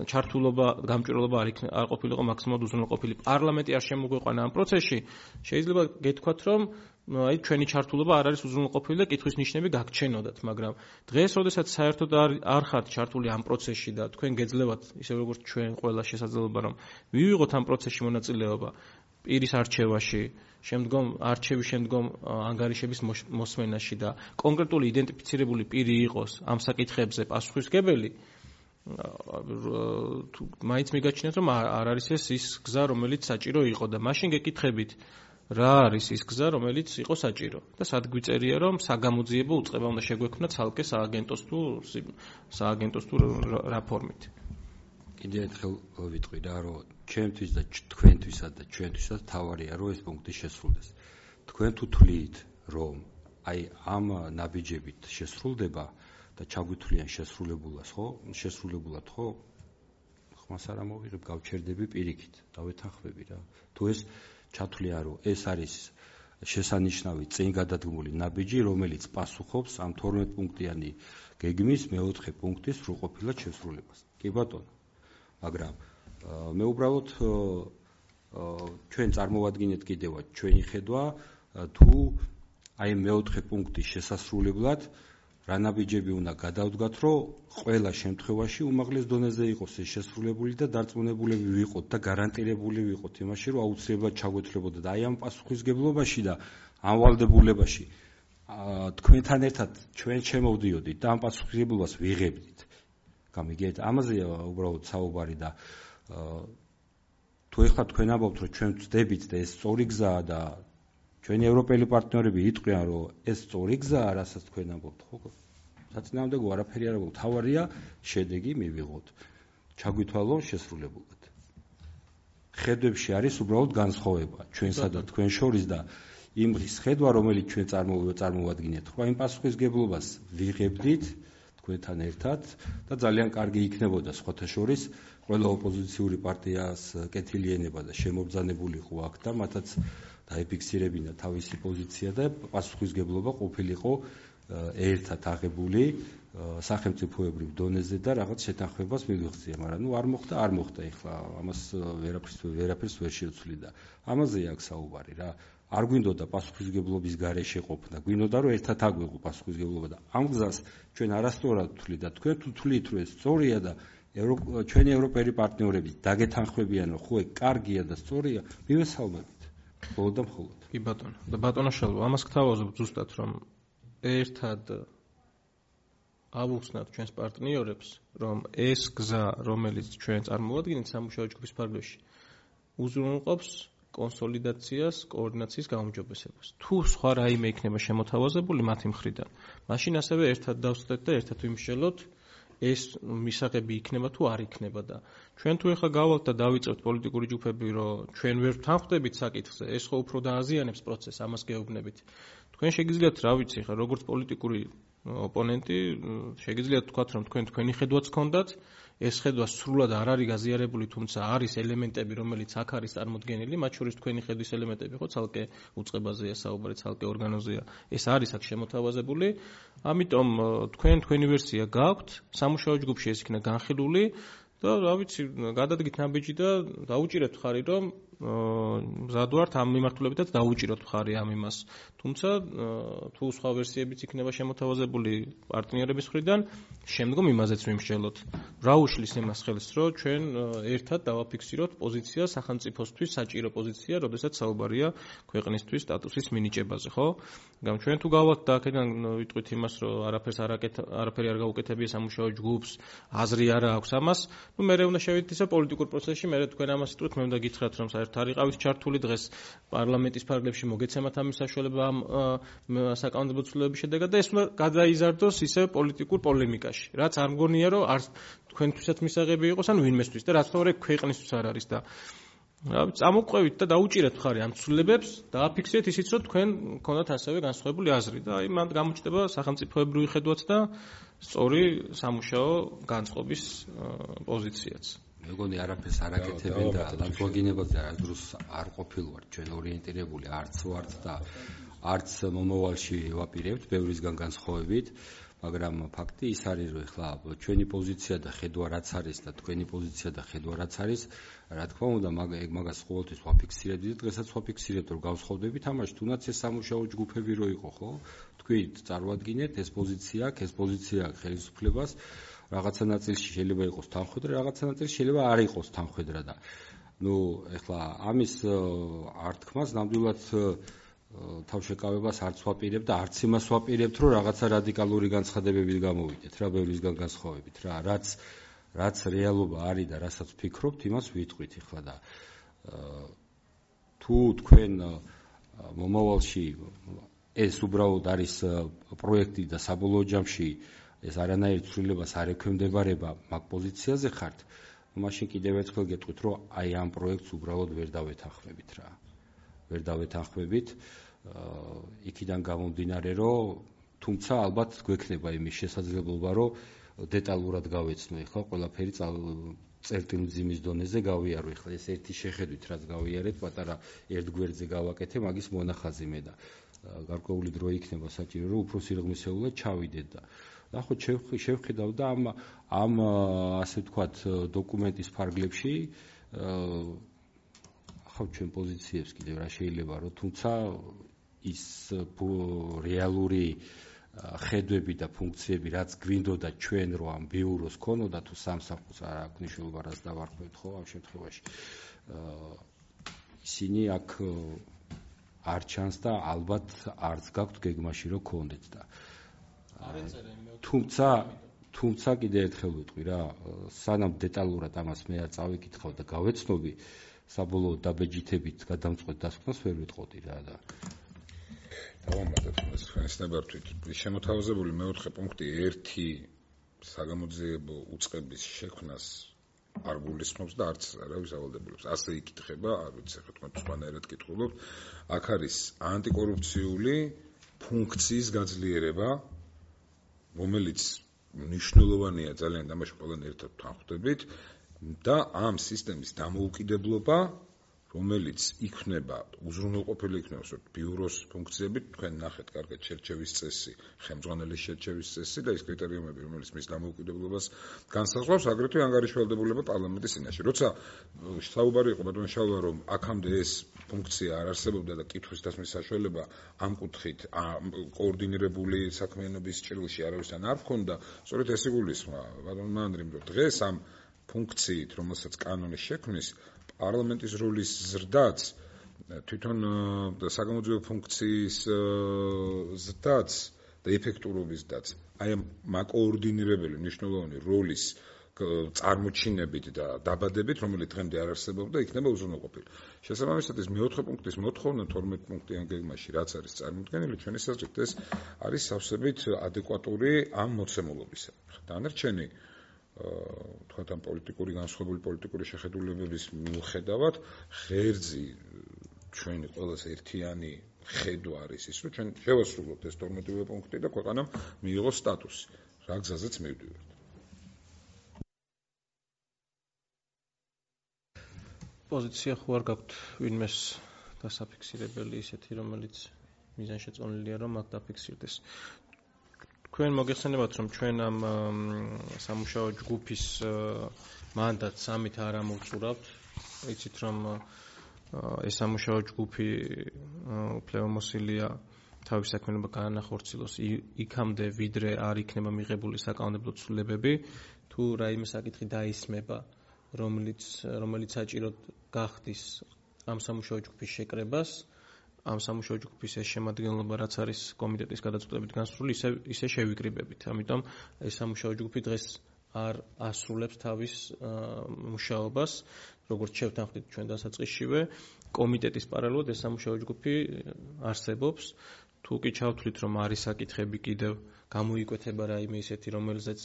ჩართულობა, გამჭვირვალობა არ არ ყოფილიყო მაქსიმალურად უზრუნველყოფილი, პარლამენტი არ შემოგვეყვანა ამ პროცესში, შეიძლება გეთქვათ რომ აი ჩვენი ჩართულობა არ არის უზრუნველყოფილი და კითხვის ნიშნები გაგჩენოდათ, მაგრამ დღეს, როდესაც საერთოდ არ არ ხართ ჩართული ამ პროცესში და თქვენ გეძლევათ, ისე როგორც ჩვენ ყველა შესაძლებლობა რომ მივიღოთ ამ პროცესში მონაწილეობა, პირის არჩევაში, შემდგომ არჩევის შემდგომ ანგარიშების მოსმენაში და კონკრეტული იდენტიფიცირებული პირი იყოს ამ საკითხებზე პასუხისმგებელი, მაინც მიგაჩნიათ, რომ არ არის ეს ის გზა, რომელიც საჭირო იყო და მაშინ გეკითხებით, რა არის ის გზა, რომელიც იყო საჭირო და სად გვიწერია, რომ საგამოძიებო უწყება უნდა შეგვექმნა ცალკე სააგენტოს თუ სააგენტოს თუ რა ფორმით. კიდევ ერთხელ ვიტყვი რა, რომ ჩემთვის და თქვენთვისაც და ჩვენთვისაც თავარია, რომ ეს პუნქტი შესრულდეს. თქვენ თუ თვლით, რომ აი ამ ნაბიჯებით შესრულდება და ჩაგვითვლიან შესრულებულას, ხო? შესრულებულად, ხო? ხმას არ ამოვიღებ, გავჩერდები პირიქით, დავეთანხმები რა. თუ ეს ჩათვლია, რომ ეს არის შესანიშნავი წინ გადადგმული ნაბიჯი, რომელიც პასუხობს ამ თორმეტ პუნქტიანი გეგმის მეოთხე პუნქტის სრულყოფილად შესრულებას. კი ბატონო. მაგრამ მე უბრალოდ ჩვენ წარმოვადგინეთ კიდევაც ჩვენი ხედვა თუ აი მეოთხე პუნქტის შესასრულებლად რა ნაბიჯები უნდა გადავდგათ, რომ ყველა შემთხვევაში უმაღლეს დონეზე იყოს ეს შესრულებული და დარწმუნებულები ვიყოთ და გარანტირებული ვიყოთ იმაში, რომ აუცილებლად ჩაგვეთვლებოდა და აი ამ პასუხისმგებლობაში და ამ ვალდებულებაში თქვენთან ერთად ჩვენ შემოვდიოდით და ამ პასუხისმგებლობას ვიღებდით. გამიგეთ, ამაზეა უბრალოდ საუბარი და თუ ეხლა თქვენ ამბობთ, რომ ჩვენ ვწდებით და ეს სწორი გზაა და ჩვენი ევროპელი პარტნიორები იტყვიან, რომ ეს სწორი გზაა, რასაც თქვენ ამბობთ, ხო? საწინააღმდეგო არაფერი არ აქვს. თავარია შედეგი მივიღოთ. ჩაგვითვალონ შესრულებულად. ხედვებში არის უბრალოდ განსხვავება ჩვენსა და თქვენ შორის და იმ ხედვა, რომელიც ჩვენ წარმოვადგინეთ, ხო, იმ პასუხისმგებლობას ვიღებდით თქვენთან ერთად და ძალიან კარგი იქნებოდა სხვათა შორის ყველა ოპოზიციური პარტიას კეთილი ენება და შემობრძანებულიყო აქ და მათაც დაიფიქსირებინა თავისი პოზიცია და პასუხისმგებლობა ყოფილიყო ერთად აღებული სახელმწიფოებრივ დონეზე და რაღაც შეთანხმებას მივიღწია, მაგრამ ნუ არ მოხდა, არ მოხდა ეხლა ამას ვერაფერს ვერაფერს ვერ შევცვლი და ამაზეა აქ საუბარი რა. არ გვინდოდა პასუხისმგებლობის გარეშე ყოფნა, გვინდოდა რომ ერთად აგვიღო პასუხისმგებლობა და ამ გზას ჩვენ არასწორად ვთვლით და თქვენ თუ თვლით რომ ეს სწორია და ჩვენი ევროპელი პარტნიორები დაგეთანხმებიან რომ ხო ეგ კარგია და სწორია, მივესალმებით. მხოლოდ და მხოლოდ. კი ბატონო. და ბატონო შალვა, ამას გთავაზობ ზუსტად რომ ერთად ავუხსნათ ჩვენს პარტნიორებს, რომ ეს გზა, რომელიც ჩვენ წარმოვადგინეთ სამუშაო ჯგუფის ფარგლებში, უზრუნველყოფს კონსოლიდაციას, კოორდინაციის გაუმჯობესებას. თუ სხვა რაიმე იქნება შემოთავაზებული მათი მხრიდან, მაშინ ასევე ერთად დავსწრეთ და ერთად ვიმსჯელოთ ეს მისაღები იქნება თუ არ იქნება და ჩვენ თუ ეხლა გავალთ და დავიწყებთ პოლიტიკური ჯგუფები, რომ ჩვენ ვერ ვთანხმდებით საკითხზე, ეს ხო უფრო დააზიანებს პროცესს, ამას გეუბნებით. თქვენ შეგიძლიათ, რა ვიცი, ხა როგორც პოლიტიკური ოპონენტი, შეგიძლიათ თქვათ, რომ თქვენ თქვენი ხედვაც გქონდათ, ეს ხედვა სრულად არ არის გაზიარებული, თუმცა არის ელემენტები, რომელიც აქ არის წარმოდგენილი, მათ შორის თქვენი ხედვის ელემენტები ხო ცალკე უწყებაზეა საუბარი, ცალკე ორგანოზეა. ეს არის აქ შემოთავაზებული. ამიტომ თქვენ თქვენი ვერსია გაქვთ, სამუშაო ჯგუფში ეს იქნა განხილული და რა ვიცი, გადადგით ნაბიჯი და დაუჭირეთ ხარი, რომ მზად ვართ ამ მიმართულებითაც დაუჭიროთ ხარი ამ იმას. თუმცა თუ სხვა ვერსიებიც იქნება შემოთავაზებული პარტნიორების მხრიდან, შემდგომ იმაზეც ვიმსჯელოთ. რა უშლის იმას ხელს, რომ ჩვენ ერთად დავაფიქსიროთ პოზიცია სახელმწიფოსთვის, საჭირო პოზიცია, როდესაც საუბარია ქვეყნისთვის სტატუსის მინიჭებაზე, ხო? მაგრამ ჩვენ თუ გავალთ და აქედან ვიტყვით იმას, რომ არაფერს არაფერი არ გაუკეთებია სამუშაო ჯგუფს, აზრი არ აქვს ამას, ну მე უნდა შევიდეთ ისე პოლიტიკურ პროცესში, მე თქვენ ამას იტყვით, მე უნდა გითხრათ, რომ საერთოდ არ იყავის ჩართული დღეს პარლამენტის ფარგლებში მოგეცემათ ამის საშუალება ამ საკანონმდებლო ცვლილებების შედეგად და ეს უნდა გადაიზარდოს ისე პოლიტიკურ პოლემიკაში. რაც არ მგონია, რომ არ თქვენთვისაც მისაღები იყოს, ან ვინმესთვის და რაც თორე ქვეყნისთვის არ არის და რა ვიცი, წამოყვევით და დაუჭირეთ ხარი ამ ცვლილებებს, დააფიქსირეთ ისიც, რომ თქვენ გქონდათ ასევე განსხვავებული აზრი და აი მანდ გამოჩნდება სახელმწიფოებრივი ხედვაც და სწორი სამუშაო განწყობის პოზიციაც. მეგონი არაფერს არაკეთებენ და ლანძღვაგინებაზე არდროს არ ყოფილვარ ჩვენ ორიენტირებული არც ვართ და არც მომავალში ვაპირებთ ბევრისგან განსხვავებით, მაგრამ ფაქტი ის არის, რომ ეხლა ჩვენი პოზიცია და ხედვა რაც არის და თქვენი პოზიცია და ხედვა რაც არის, რა თქმა უნდა, ეგ მაგას ყოველთვის ვაფიქსირებთ და დღესაც ვაფიქსირებთ, რომ გავსხოვდებით ამაში, თუნდაც ეს სამუშაო ჯგუფები რო იყო, ხო? თქვით, წარმოადგინეთ ეს პოზიცია, ეს პოზიცია ხელისუფლებას, რაღაცა ნაწილში შეიძლება იყოს თანხმედრა, რაღაცა ნაწილში შეიძლება არ იყოს თანხმედრა და ნუ ეხლა ამის ართქმას ნამდვილად თავშეკავებას არც ვაპირებ და არც იმას ვაპირებთ, რომ რაღაცა რადიკალური განცხადებებით გამოვიდეთ, რა ბევრისგან განსხვავებით რა, რაც რაც რეალობა არის და რასაც ვფიქრობთ, იმას ვიტყვით ეხლა და თუ თქვენ მომავალში ეს უბრალოდ არის პროექტი და საბოლოო ჯამში ეს არანაირ ცვლილებას არ ექვემდებარება მაგ პოზიციაზე ხართ, მაშინ კიდევ ერთხელ გეტყვით, რომ აი ამ პროექტს უბრალოდ ვერ დავეთანხმებით რა. ვერ დავეთანხმებით იქიდან გამომდინარე, რომ თუმცა ალბათ გვექნება იმის შესაძლებლობა, რომ დეტალურად გავეცნო ეხლა ყველაფერი წერტილმძიმის დონეზე გავიარო. ეხლა ეს ერთი შეხედვით რაც გავიარეთ, პატარა ერთ გვერდზე გავაკეთე, მაგის მონახაზი მე და გარკვეული დრო იქნება საჭირო, რომ უფრო სიღრმისეულად ჩავიდეთ და ნახოთ შევხედავ და ამ ამ ასე ვთქვათ დოკუმენტის ფარგლებში ახავ ჩვენ პოზიციებს კიდევ რა შეიძლება რომ თუმცა ის რეალური ხედვები და ფუნქციები რაც გვინდოდა ჩვენ რო ამ ბიუროს ქონოდა თუ სამსახურს არ აქვს მნიშვნელობა რაც დავარქვევთ ხო ამ შემთხვევაში ისინი აქ არ ჩანს და ალბათ არც გაქვთ გეგმაში რომ ქონდეთ და თუმცა თუმცა კიდე ერთხელ ვიტყვი რა სანამ დეტალურად ამას მე არ წავიკითხავ და გავეცნობი საბოლოო დაბეჯითებით გადამწყვეტ დასკვნას ვერ ვიტყოდი რა და დავამატებ ეს ხსნებართვით შემოთავაზებული მეოთხე პუნქტი ერთი საგამოძიებო უწყების შექმნას არ გულისხმობს და არც არავის ავალდებულებს ასე იკითხება არ ვიცი ხო თქვენ სხვანაირად კითხულობთ აქ არის ანტიკორუფციული ფუნქციის გაძლიერება რომელიც მნიშვნელოვანია ძალიან თამაში ყველანი ერთად თანხვდებით და ამ სისტემის დამოუკიდებლობა რომელიც იქნება უზრუნველყოფილი იქნება ბიუროს ფუნქციებით თქვენ ნახეთ კარგად შერჩევის წესი ხელმძღვანელის შერჩევის წესი და ის კრიტერიუმები რომელიც მის დამოუკიდებლობას განსაზღვრავს აგრეთვე ანგარიშვალდებულება პარლამენტის წინაშე როცა საუბარი იყო ბატონ შალვა რომ აქამდე ეს ფუნქცია არ არსებობდა და კითხვის დასმის საშუალება ამ კუთხით კოორდინირებული საქმიანობის ჭრილში არავისთან არ ჰქონდა სწორედ ეს იგულისხმა ბატონ მანდრიმ რომ დღეს ამ ფუნქციით რომელსაც კანონის შექმნის პარლამენტის როლის ზრდაც თვითონ საგამოძიებო ფუნქციის ზრდაც და ეფექტურობის ზრდაც აი ამ მაკოორდინირებელი მნიშვნელოვანი როლის წარმოჩინებით და დაბადებით რომელიც დღემდე არ არსებობდა იქნება უზრუნველყოფილი შესაბამისად ეს მეოთხე პუნქტის მოთხოვნა თორმეტ პუნქტიან გეგმაში რაც არის წარმოქმნილი ჩვენი საზრით ეს არის სავსებით ადეკვატური ამ მოცემულობისა დანარჩენი თქვათ ამ პოლიტიკური განსხვავებული პოლიტიკური შეხედულებების მიუხედავად ღერძი ჩვენი ყველას ერთიანი ხედვა არის ის რომ ჩვენ შევასრულოთ ეს თორმეტივე პუნქტი და ქვეყანამ მიიღოს სტატუსი რა გზაზეც მივდივართ პოზიცია ხო არ გაქვთ ვინმეს დასაფიქსირებელი ისეთი რომელიც მიზანშეწონილია რომ აქ დაფიქსირდეს თქვენ მოგეხსენებათ რომ ჩვენ ამ სამუშაო ჯგუფის მანდატს ამით არ ამოვწურავთ იცით რომ ეს სამუშაო ჯგუფი უფლებამოსილია თავის საქმიანობა განახორციელოს იქამდე ვიდრე არ იქნება მიღებული საკანონმდებლო ცვლილებები თუ რაიმე საკითხი დაისმება რომელიც რომელიც საჭიროდ გახდის ამ სამუშაო ჯგუფის შეკრებას ამ სამუშაო ჯგუფის ეს შემადგენლობა რაც არის კომიტეტის გადაწყვეტებით განსრული ისე ისე შევიკრიბებით. ამიტომ ეს სამუშაო ჯგუფი დღეს არ ასრულებს თავის მუშაობას, როგორც შევთანხმდით ჩვენ დასაწყისშივე, კომიტეტის პარალელურად ეს სამუშაო ჯგუფი არსებობს. თუ კი ჩავთვლით რომ არის საკითხები კიდევ გამოიკვეთება რაიმე ისეთი რომელზეც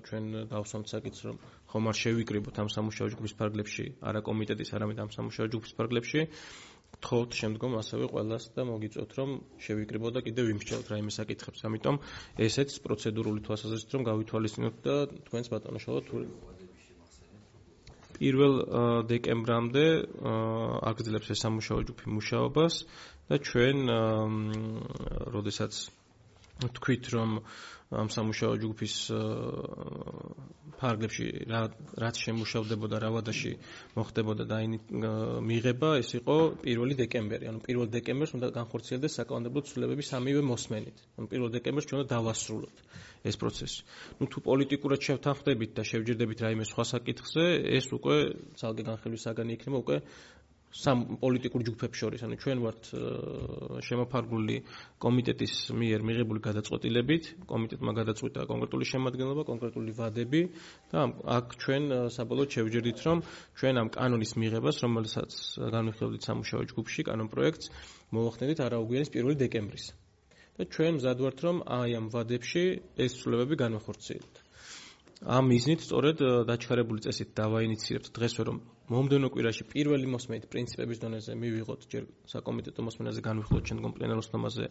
ჩვენ დავსვამთ საკითხს რომ ხომ არ შევიკრიბოთ ამ სამუშაო ჯგუფის ფარგლებში, არა კომიტეტის, არამედ ამ სამუშაო ჯგუფის ფარგლებში გთხოვთ შემდგომ ასევე ყველას და მოგიწევთ რომ შევიკრიბოთ და კიდევ ვიმსჯელოთ რაიმე საკითხებს. ამიტომ ესეც პროცედურული თვალსაზრისით რომ გავითვალისწინოთ და თქვენს ბატონო შალვა თუ პირველ დეკემბრამდე აგრძელებს ეს სამუშაო ჯგუფი მუშაობას და ჩვენ როდესაც თქვით რომ ამ სამუშაო ჯგუფის ფარგლებში რაც შემუშავდებოდა რა ვადაში მოხდებოდა და მიღება ეს იყო პირველი დეკემბერი. ანუ პირველი დეკემბერს უნდა განხორციელდეს საკანონმდებლო ცვლილებები სამივე მოსმენით. ანუ პირველი დეკემბერს ჩვენ უნდა დავასრულოთ ეს პროცესი. ნუ თუ პოლიტიკურად შევთანხმდებით და შევჯერდებით რაიმე სხვა საკითხზე, ეს უკვე ძალზე განხილვის საგანი იქნება უკვე სამ პოლიტიკურ ჯგუფებს შორის. ანუ ჩვენ ვართ შემოფარგლული კომიტეტის მიერ მიღებული გადაწყვეტილებით, კომიტეტმა გადაწყვიტა კონკრეტული შემადგენლობა, კონკრეტული ვადები და აქ ჩვენ საბოლოოდ შევჯერდით, რომ ჩვენ ამ კანონის მიღებას, რომელსაც განვიხილავთ სამუშაო ჯგუფში, კანონ პროექტს მოვახდენით არაუგვიანის პირველი დეკემბრის. და ჩვენ მზად ვართ, რომ აი ამ ვადებში ეს ცვლილებები განვახორციელოთ. ამ მიზნით სწორედ დაჩქარებული წესით დავაინიციირებთ დღესვე, რომ მომდევნო კვირაში პირველი მოსმენით პრინციპების დონეზე მივიღოთ ჯერ საკომიტეტო მოსმენაზე განვიხილოთ, შემდგომ პლენარულ სხდომაზე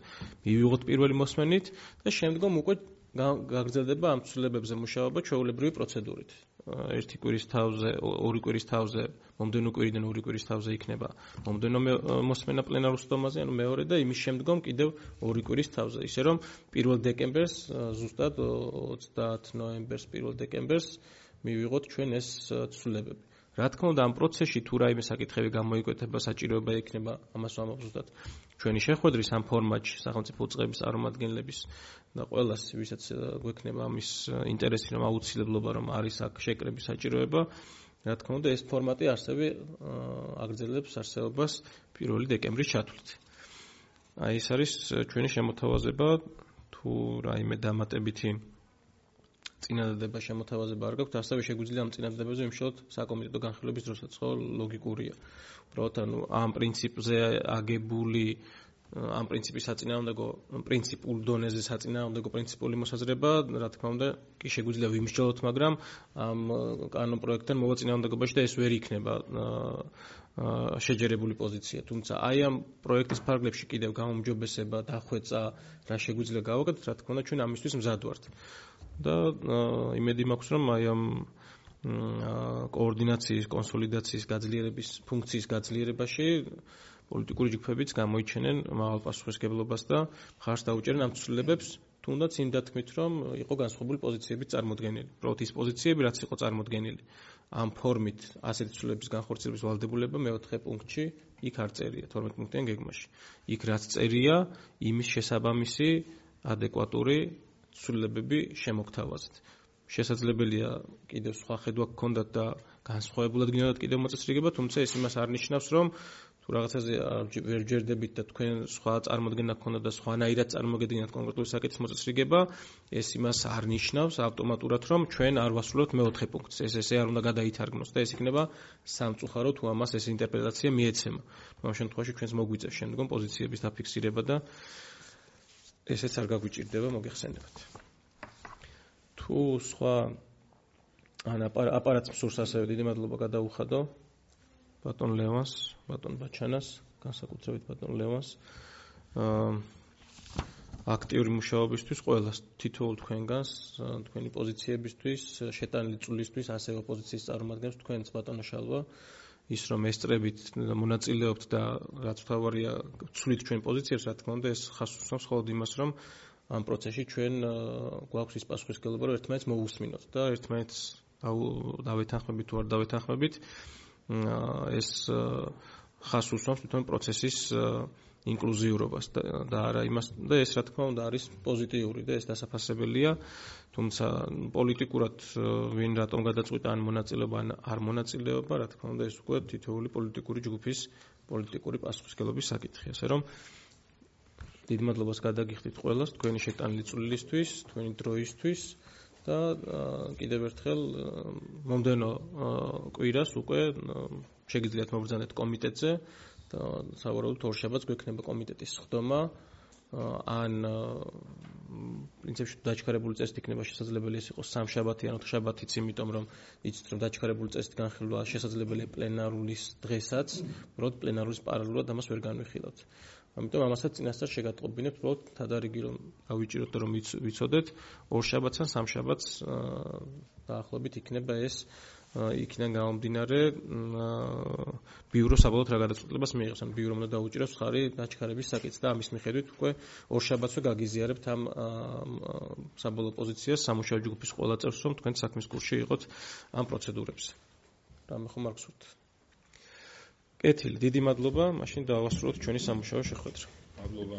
მივიღოთ პირველი მოსმენით და შემდგომ უკვე გაგრძელდება ამ ცვლილებებზე მუშაობა ჩვეულებრივი პროცედურით. ერთი კვირის თავზე, ორი კვირის თავზე, მომდევნო კვირიდან ორი კვირის თავზე იქნება მომდევნო მოსმენა პლენარულ სხდომაზე, ანუ მეორე და იმის შემდგომ კიდევ ორი კვირის თავზე. ისე რომ პირველ დეკემბერს, ზუსტად ოცდაათი ნოემბერს, პირველ დეკემბერს მივიღოთ ჩვენ ეს ცვლილებები. რა თქმა უნდა, ამ პროცესში თუ რაიმე საკითხები გამოიკვეთება, საჭიროება იქნება, ამას ვამბობ ზუსტად ჩვენი შეხვედრის ამ ფორმატში სახელმწიფო უწყების წარმომადგენლების და ყველას, ვისაც გვექნება ამის ინტერესი, რომ აუცილებლობა რომ არის აქ შეკრების საჭიროება, რა თქმა უნდა, ეს ფორმატი ასევე აგრძელებს არსებობას პირველი დეკემბრის ჩათვლით. აი ეს არის ჩვენი შემოთავაზება, თუ რაიმე დამატებითი წინადადება შემოთავაზება არ გაქვთ, ასევე შეგვიძლია ამ წინადადებებზე ვიმშილოთ საკომიტეტო განხილვების დროსაც, ხო, ლოგიკურია. უბრალოდ ანუ ამ პრინციპზე აგებული ამ პრინციპის საწინააღმდეგო პრინციპულ დონეზე საწინააღმდეგო პრინციპული მოსაზრება, რა თქმა უნდა, კი შეგვიძლია ვიმსჯელოთ, მაგრამ ამ კანონ პროექტთან მოვაწინააღმდეგობაში და ეს ვერ იქნება შეჯერებული პოზიცია. თუმცა აი ამ პროექტის ფარგლებში კიდევ გაუმჯობესება, დახვეწა, რა შეგვიძლია გავაკეთოთ, რა თქმა უნდა, ჩვენ ამისთვის მზად ვართ. და იმედი მაქვს, რომ აი ამ კოორდინაციის, კონსოლიდაციის გაძლიერების ფუნქციის გაძლიერებაში პოლიტიკური ჯგუფებიც გამოიჩენენ მაღალ პასუხისმგებლობას და მხარს დაუჭერენ ამ ცვლილებებს, თუნდაც იმ დათქმით, რომ იყო განსხვავებული პოზიციების წარმოდგენილი. უბრალოდ ის პოზიციები, რაც იყო წარმოდგენილი ამ ფორმით ასეთი ცვლილებების განხორციელების ვალდებულება მეოთხე პუნქტში იქ არ წერია, თორმეტ პუნქტიან გეგმაში. იქ რაც წერია, იმის შესაბამისი ადეკვატური ცვლილებები შემოგთავაზეთ. შესაძლებელია კიდევ სხვა ხედვა გქონდათ და განსხვავებულად გინდათ კიდევ მოწესრიგება, თუმცა ეს იმას არ ნიშნავს, რომ თუ რაღაცაზე ვერ ჯერდებით და თქვენ სხვა წარმოდგენა გქონდათ და სხვანაირად წარმოგედგენათ კონკრეტული საკითხის მოწესრიგება, ეს იმას არ ნიშნავს ავტომატურად, რომ ჩვენ არ ვასრულებთ მეოთხე პუნქტს. ეს ესე არ უნდა გადაითარგმნოს და ეს იქნება სამწუხარო, თუ ამას ეს ინტერპრეტაცია მიეცემა. ამ შემთხვევაში ჩვენს მოგვიწევს შემდგომ პოზიციების დაფიქსირება და ესეც არ გაგვიჭირდება, მოგეხსენებათ. თუ სხვა ან აპარატს მსურს ასევე დიდი მადლობა გადაუხადო ბატონ ლევანს, ბატონ ბაჩანას, განსაკუთრებით ბატონ ლევანს აქტიური მუშაობისთვის, ყველას თითოეულ თქვენგანს, თქვენი პოზიციებისთვის, შეტანილი წვლილისთვის, ასევე ოპოზიციის წარმომადგენლებს, თქვენც ბატონო შალვა, ის რომ ესწრებით და მონაწილეობთ და რაც თავარია ვცვლით ჩვენ პოზიციებს, რა თქმა უნდა, ეს ხას უსვამს მხოლოდ იმას, რომ ამ პროცესში ჩვენ გვაქვს ის პასუხისმგებლობა, რომ ერთმანეთს მოვუსმინოთ და ერთმანეთს დავეთანხმებით თუ არ დავეთანხმებით, ეს ხას უსვამს თვითონ პროცესის ინკლუზიურობას და არა იმას და ეს რა თქმა უნდა არის პოზიტიური და ეს დასაფასებელია, თუმცა პოლიტიკურად ვინ რატომ გადაწყვიტა ან მონაწილეობა ან არ მონაწილეობა, რა თქმა უნდა ეს უკვე თითოეული პოლიტიკური ჯგუფის პოლიტიკური პასუხისმგებლობის საკითხია. ასე რომ დიდ მადლობას გადაგიხდით ყველას თქვენი შეტანილი წვლილისთვის, თქვენი დროისთვის და კიდევ ერთხელ მომდევნო კვირას უკვე შეგიძლიათ მობრძანეთ კომიტეტზე და სავარაუდოდ ორშაბათს გვექნება კომიტეტის სხდომა ან პრინციპში დაჩქარებული წესით იქნება შესაძლებელი ეს იყოს სამშაბათი ან ოთხშაბათიც, იმიტომ რომ იცით რომ დაჩქარებული წესით განხილვა შესაძლებელია პლენარულის დღესაც, უბრალოდ პლენარულის პარალელურად ამას ვერ განვიხილავთ. ამიტომ ამასაც წინასწარ შეგატყობინებთ, უბრალოდ თადარიგი რომ გავიჭიროთ და რომ ვიცოდეთ, ორშაბათს ან სამშაბათს დაახლოებით იქნება ეს იქიდან გამომდინარე ბიურო საბოლოოდ რა გადაწყვეტილებას მიიღებს. ან ბიურომ უნდა დაუჭიროს მხარი დაჩქარების საკითხს და ამის მიხედვით უკვე ორ შაბათსვე გაგიზიარებთ ამ საბოლოო პოზიციას სამუშაო ჯგუფის ყველა წევრს, რომ თქვენ საქმის კურსში იყოთ ამ პროცედურებზე. რამე ხომ არ გსურთ? კეთილი, დიდი მადლობა, მაშინ დავასრულოთ ჩვენი სამუშაო შეხვედრა. მადლობა.